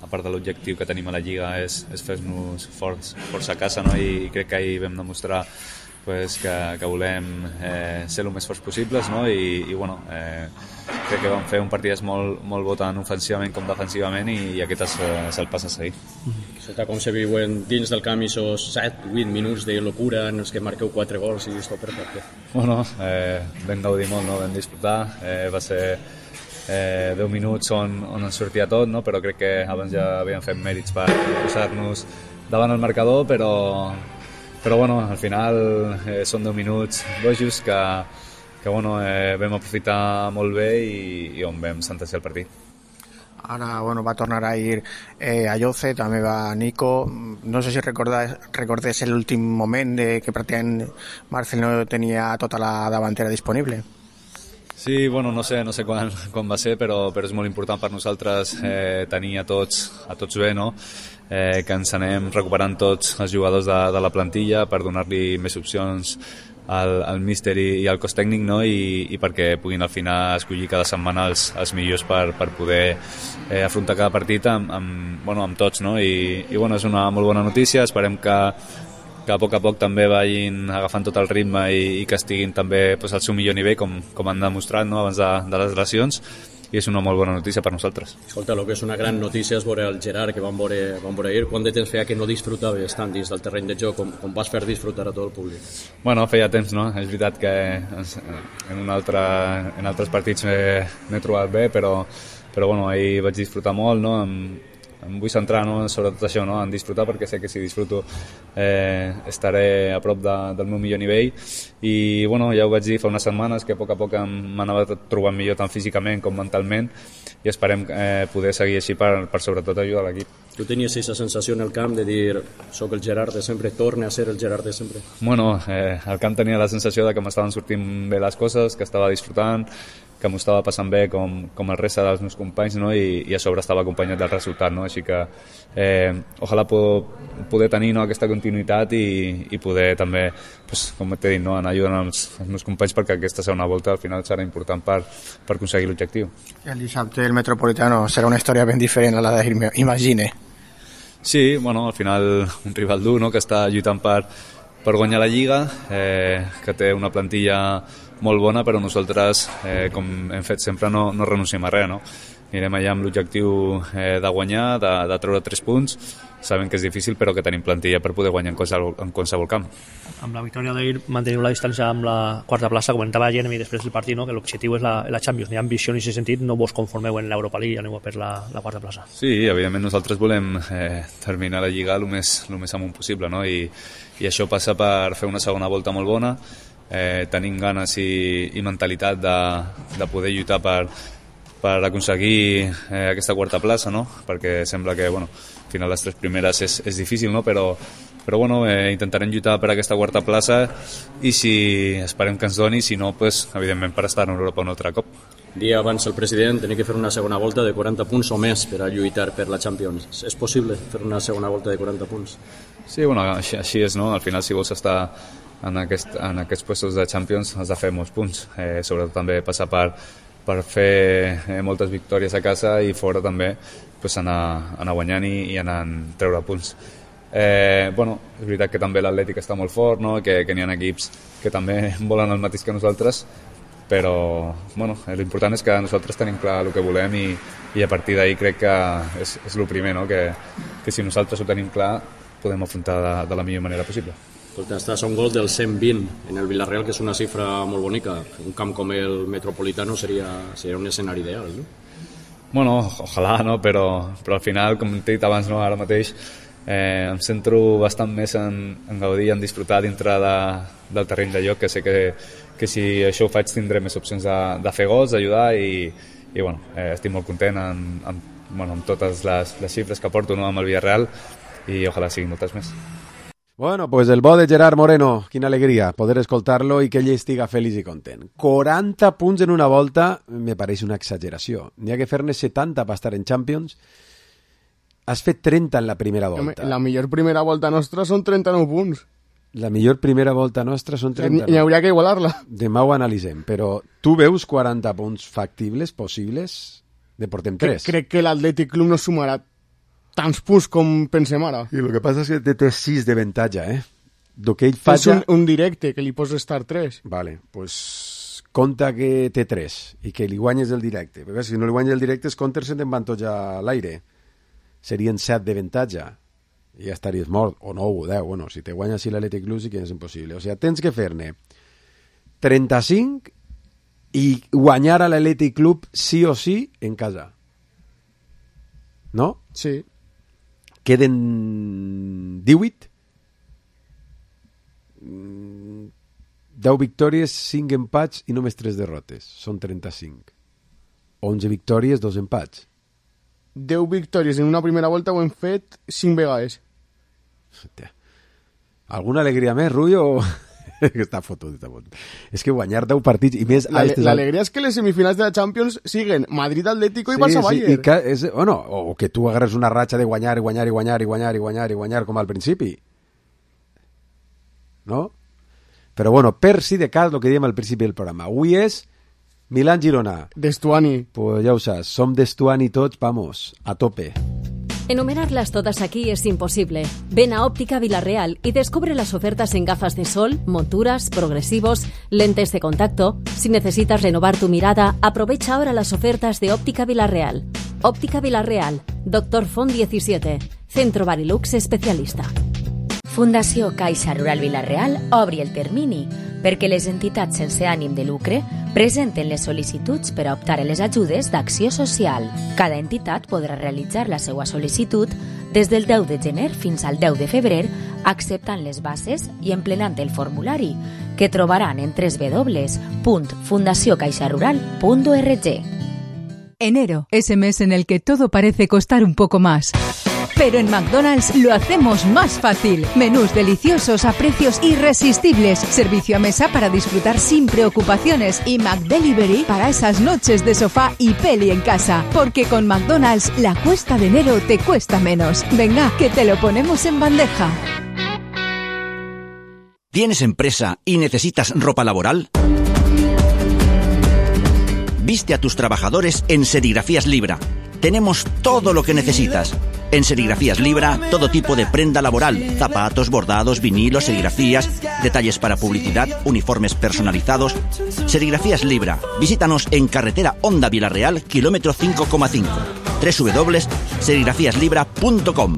a part de l'objectiu que tenim a la Lliga, és, és fer-nos forts, forts a casa, no? I, i crec que ahir vam demostrar pues, que, que volem eh, ser el més forts possibles, no? I, i bueno, eh, crec que vam fer un partit molt, molt bo tant ofensivament com defensivament i, i aquest és, és el pas a seguir. Sota com se viuen dins del camp aquests set vuit minuts de locura en els que marqueu quatre gols i és tot perfecte? Bueno, eh, vam gaudir molt, no? Vam disfrutar, eh, va ser eh, deu minuts on, on ens sortia tot, no? Però crec que abans ja havíem fet mèrits per posar-nos davant el marcador, però però bueno, al final eh, són deu minuts bojos que, que bueno, eh, vam aprofitar molt bé i, i on vam sentenciar el partit. Ara bueno, va tornar a ir eh, a Lloce, també va Nico. No sé si recordes, recordes l'últim moment de que pràcticament Marcel no tenia tota la davantera disponible. Sí, bueno, no sé, no sé quan, quan va ser, però, però és molt important per nosaltres eh, tenir a tots, a tots bé, no? Eh, que ens anem recuperant tots els jugadors de, de la plantilla per donar-li més opcions al, al míster i, i al cos tècnic, no? I, i perquè puguin al final escollir cada setmana els, els millors per, per poder eh, afrontar cada partit amb, amb, bueno, amb tots, no? I, i bueno, és una molt bona notícia, esperem que que a poc a poc també vagin agafant tot el ritme i, i que estiguin també pues, al seu millor nivell, com, com han demostrat, no? Abans de, de les lesions, i és una molt bona notícia per nosaltres. Escolta, el que és una gran notícia és veure el Gerard, que vam veure, vam veure ahir. Quant de temps feia que no disfrutaves tant dins del terreny de joc, com, com vas fer disfrutar a tot el públic? Bueno, feia temps, no? És veritat que en, un altre, en altres partits m'he trobat bé, però, però bueno, ahir vaig disfrutar molt, no? Amb, em vull centrar, no, sobretot això, no, en disfrutar, perquè sé que si disfruto eh, estaré a prop de, del meu millor nivell i bueno, ja ho vaig dir fa unes setmanes que a poc a poc m'anava trobant millor tant físicament com mentalment i esperem eh, poder seguir així per, per sobretot ajudar l'equip. Tu tenies aquesta sensació en el camp de dir soc el Gerard de sempre, torne a ser el Gerard de sempre? Bueno, eh, al camp tenia la sensació de que m'estaven sortint bé les coses, que estava disfrutant, que que m'ho estava passant bé com, com el reste dels meus companys, no? I, i a sobre estava acompanyat del resultat, no? Així que eh, ojalà poder tenir, no, aquesta continuïtat i, i poder també, pues, com t'he dit, no, anar ajudant els, els meus companys perquè aquesta segona volta al final serà important per, per aconseguir l'objectiu. I el dissabte el Metropolitano serà una història ben diferent a la d'ahir, imagine. Sí, bueno, al final un rival dur, no?, que està lluitant per, per guanyar la Lliga, eh, que té una plantilla molt bona, però nosaltres, eh, com hem fet sempre, no, no renunciem a res, no? Anirem allà amb l'objectiu eh, de guanyar, de, de treure tres punts. Sabem que és difícil, però que tenim plantilla per poder guanyar en qualsevol, en qualsevol camp. Amb la victòria d'ahir manteniu la distància amb la quarta plaça, comentava Jeremy després del partit, no? Que l'objectiu és la, la Champions. Hi ha ambició en aquest sentit, no vos conformeu en l'Europa League i aneu per la, la quarta plaça. Sí, evidentment nosaltres volem eh, terminar la Lliga el més, el més amunt possible, no? I, i això passa per fer una segona volta molt bona, eh, tenim ganes i, i mentalitat de, de poder lluitar per, per aconseguir eh, aquesta quarta plaça, no? Perquè sembla que, bueno, al final les tres primeres és, és difícil, no? Però, però bueno, eh, intentarem lluitar per aquesta quarta plaça i si esperem que ens doni, si no, pues, evidentment per estar en Europa un altre cop. Dia abans el president tenia que fer una segona volta de quaranta punts o més per a lluitar per la Champions. És possible fer una segona volta de quaranta punts? Sí, bueno, així, així és, no? Al final, si vols estar en, aquest, en aquests puestos de Champions, has de fer molts punts. Eh, sobretot també passar per, per fer eh, moltes victòries a casa i fora també pues, anar, anar guanyant i, i anar a treure punts. Eh, bueno, és veritat que també l'Atlètic està molt fort, no? que, que n'hi ha equips que també volen el mateix que nosaltres, però bueno, l'important és que nosaltres tenim clar el que volem i, i a partir d'ahir crec que és, és el primer, no? que, que si nosaltres ho tenim clar podem afrontar de, de la millor manera possible. Estàs a un gol del cent vint en el Villarreal, que és una xifra molt bonica. Un camp com el Metropolitano seria, seria un escenari ideal, no? Bueno, ojalà, no? Però, però al final, com t'he dit abans, no? Ara mateix eh, em centro bastant més en, en gaudir, en disfrutar dintre de, del terreny de joc, que sé que, que si això ho faig tindré més opcions de, de fer gols, d'ajudar i, i bueno, eh, estic molt content en, en, bueno, amb totes les, les xifres que porto, no? Amb el Villarreal i ojalà siguin moltes més. Bueno, pues el bo de Gerard Moreno, quina alegria poder escoltar-lo i que ell estiga feliç i content. quaranta punts en una volta me pareix una exageració. N'hi ha que fer-ne setanta per estar en Champions. Has fet trenta en la primera volta. La millor primera volta nostra són trenta-nou punts. La millor primera volta nostra són trenta-nou. N'hi hauria que igualar-la. Demà ho analitzem, però tu veus quaranta punts factibles, possibles? De portem tres. Crec que l'Atlètic Club no sumarà tants punts com pensem ara. I el que passa és que té sis d'avantatge, eh? Do que ell falla... És un, un directe, que li pots estar tres. Vale, pues compta que té tres i que li guanyes el directe. Perquè si no li guanyes el directe, els counters se'n van tots a l'aire. Serien set d'avantatge. I ja estaries mort. O nou o deu. Bueno, si te guanyes si l'Atlètic Club sí que és impossible. O sigui, tens que fer-ne trenta-cinc i guanyar a l'Atlètic Club sí o sí en casa. No? Sí. Queden divuit, deu victòries, cinc empats i només tres derrotes. Són trenta-cinc. onze victòries, dos empats. deu victòries en una primera volta ho hem fet cinc vegades. Hòstia. Alguna alegria més, Rui, o... està fotut, està fotut. És que guanyar deu partits i més... L'alegria és que les semifinals de la Champions siguen Madrid, Atlético i sí, Barça-Bayern. Sí, i que és, bueno, o que tu agarres una ratxa de guanyar i guanyar i guanyar i guanyar i guanyar i guanyar com al principi. No? Però bueno, per si de cas, el que diem al principi del programa. Avui és Milán-Girona. D'Estuani. Pues ja ho saps, som d'Estuani tots, vamos, a tope. Enumerarlas todas aquí es imposible. Ven a Óptica Villarreal y descubre las ofertas en gafas de sol, monturas, progresivos, lentes de contacto. Si necesitas renovar tu mirada, aprovecha ahora las ofertas de Óptica Villarreal. Óptica Villarreal, Doctor Font diecisiete, Centro Barilux especialista. Fundació Caixa Rural Vilareal obri el termini perquè les entitats sense ànim de lucre presenten les sol·licituds per a optar a les ajudes d'acció social. Cada entitat podrà realitzar la seva sol·licitud des del deu de gener fins al deu de febrer, acceptant les bases i emplenant el formulari, que trobaran en doble u doble u doble u punt fundació caixa rural punt org. Enero, ese mes en el que todo parece costar un poco más. Pero en McDonald's lo hacemos más fácil. Menús deliciosos a precios irresistibles. Servicio a mesa para disfrutar sin preocupaciones. Y McDelivery para esas noches de sofá y peli en casa. Porque con McDonald's la cuesta de enero te cuesta menos. Venga, que te lo ponemos en bandeja. ¿Tienes empresa y necesitas ropa laboral? Viste a tus trabajadores en Serigrafías Libra. Tenemos todo lo que necesitas. En Serigrafías Libra, todo tipo de prenda laboral, zapatos, bordados, vinilos, serigrafías, detalles para publicidad, uniformes personalizados. Serigrafías Libra. Visítanos en carretera Honda Vilarreal, kilómetro cinco coma cinco. doble u doble u doble u punto serigrafías libra punto com.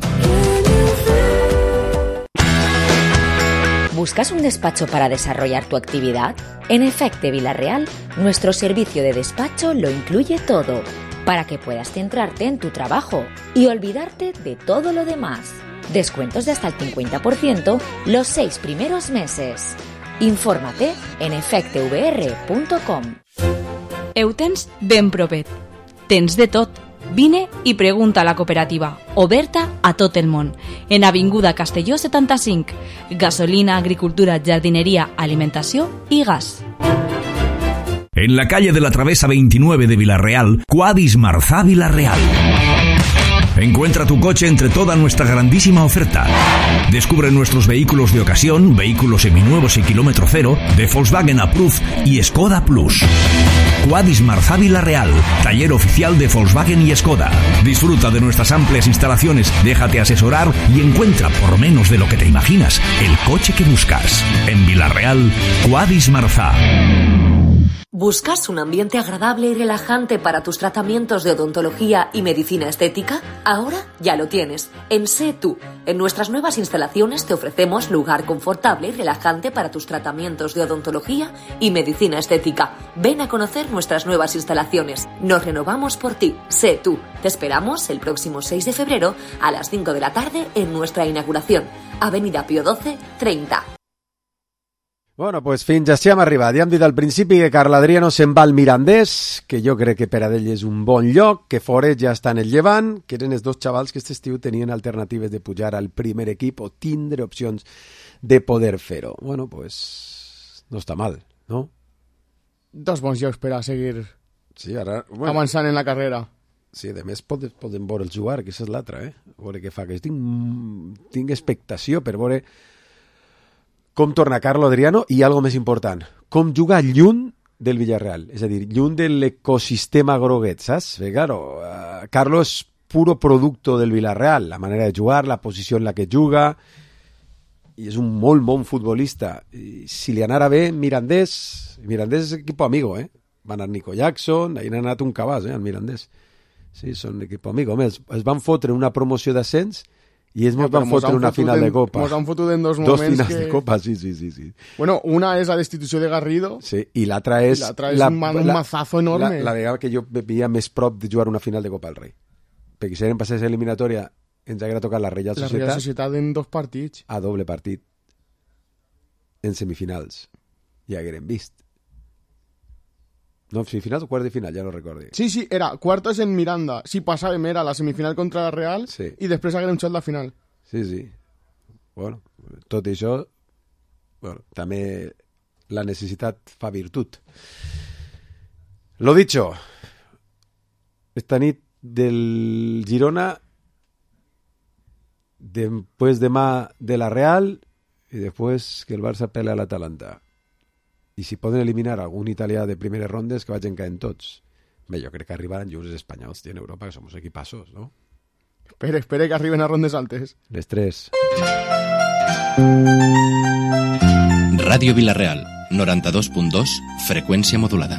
¿Buscas un despacho para desarrollar tu actividad? En Efecte Vilarreal, nuestro servicio de despacho lo incluye todo, para que puedas centrarte en tu trabajo y olvidarte de todo lo demás. Descuentos de hasta el cincuenta por ciento los seis primeros meses. Infórmate en efecte v r punto com. Heu tens ben propet. Tens de tot. Vine i pregunta a la cooperativa, oberta a tot el món, en Avinguda Castelló setanta-cinc. Gasolina, agricultura, jardinería, alimentació i gas. En la calle de la Travesa veintinueve de Vilarreal, Quadis Marzá Vilarreal. Encuentra tu coche entre toda nuestra grandísima oferta. Descubre nuestros vehículos de ocasión, vehículos seminuevos y kilómetro cero, de Volkswagen Approved y Skoda Plus. Quadis Marzá Vilarreal, taller oficial de Volkswagen y Skoda. Disfruta de nuestras amplias instalaciones, déjate asesorar y encuentra, por menos de lo que te imaginas, el coche que buscas. En Vilarreal, Quadis Marzá. ¿Buscas un ambiente agradable y relajante para tus tratamientos de odontología y medicina estética? Ahora ya lo tienes, en Sé Tú. En nuestras nuevas instalaciones te ofrecemos lugar confortable y relajante para tus tratamientos de odontología y medicina estética. Ven a conocer nuestras nuevas instalaciones. Nos renovamos por ti. Sé Tú. Te esperamos el próximo seis de febrero a las cinco de la tarde en nuestra inauguración. Avenida Pío doce, treinta. Bueno, pues fins així hem arribat. Ja hem dit al principi que Carl Adriano se'n va al Mirandés, que jo crec que per a ell és un bon lloc, que Foret ja està en el Llevant, que eren els dos xavals que aquest estiu tenien alternatives de pujar al primer equip o tindre opcions de poder fer-ho. Bueno, pues no està mal, no? Dos bons llocs per a seguir sí, ara, bueno, avançant en la carrera. Sí, a més podem, podem veure el jugar, que aquesta és l'altra, eh? A veure què fa, que tinc, tinc expectació per veure com torna Carlo Adriano i algo més important, com juga lluny del Villarreal, és a dir, lluny de l'ecosistema groguet, saps? Perquè, claro, uh, Carlo és puro producto del Villarreal, la manera de jugar, la posició en la que juga, i és un molt bon futbolista. I si li anara bé, Mirandés, Mirandés és equipo amigo, eh? Va anar Nico Jackson, ahir n'ha anat un cabàs, eh, al Mirandés. Sí, són equipo amigo. Es, es van fotre una promoció d'ascens i ells mos ja, van fotre una final en, de Copa. Mos han fotut en dos moments dos finals que... de Copa, sí, sí, sí, sí. Bueno, una és la destitució de Garrido. Sí, i l'altra és... I l'altra és la, un, un mazazo enorme. La, la vegada que jo veia més prop de jugar una final de Copa del Rei. Perquè si eren passés eliminatòria ens haguera tocat la Reial Societat. La Reial Societat en dos partits. A doble partit. En semifinals. Ja hagueren vist. No, semifinals o quart de final, ja no recordo. Sí, sí, era quartos en Miranda. Si passàvem era la semifinal contra la Real sí. I després haguérem xutat la final. Sí, sí. Bueno, tot això, bueno, també la necessitat fa virtut. Lo dicho, esta nit del Girona, después demà de la Real y después que el Barça pelea a l'Atalanta. I si poden eliminar algun italià de primeres rondes, que vagin caent tots. Bé, jo crec que arribaran junts els espanyols en Europa, que som equipassos, no? Espere, espere que arriben a rondes altes. Les tres. Ràdio Vilarreal, noranta-dos punt dos, freqüència modulada.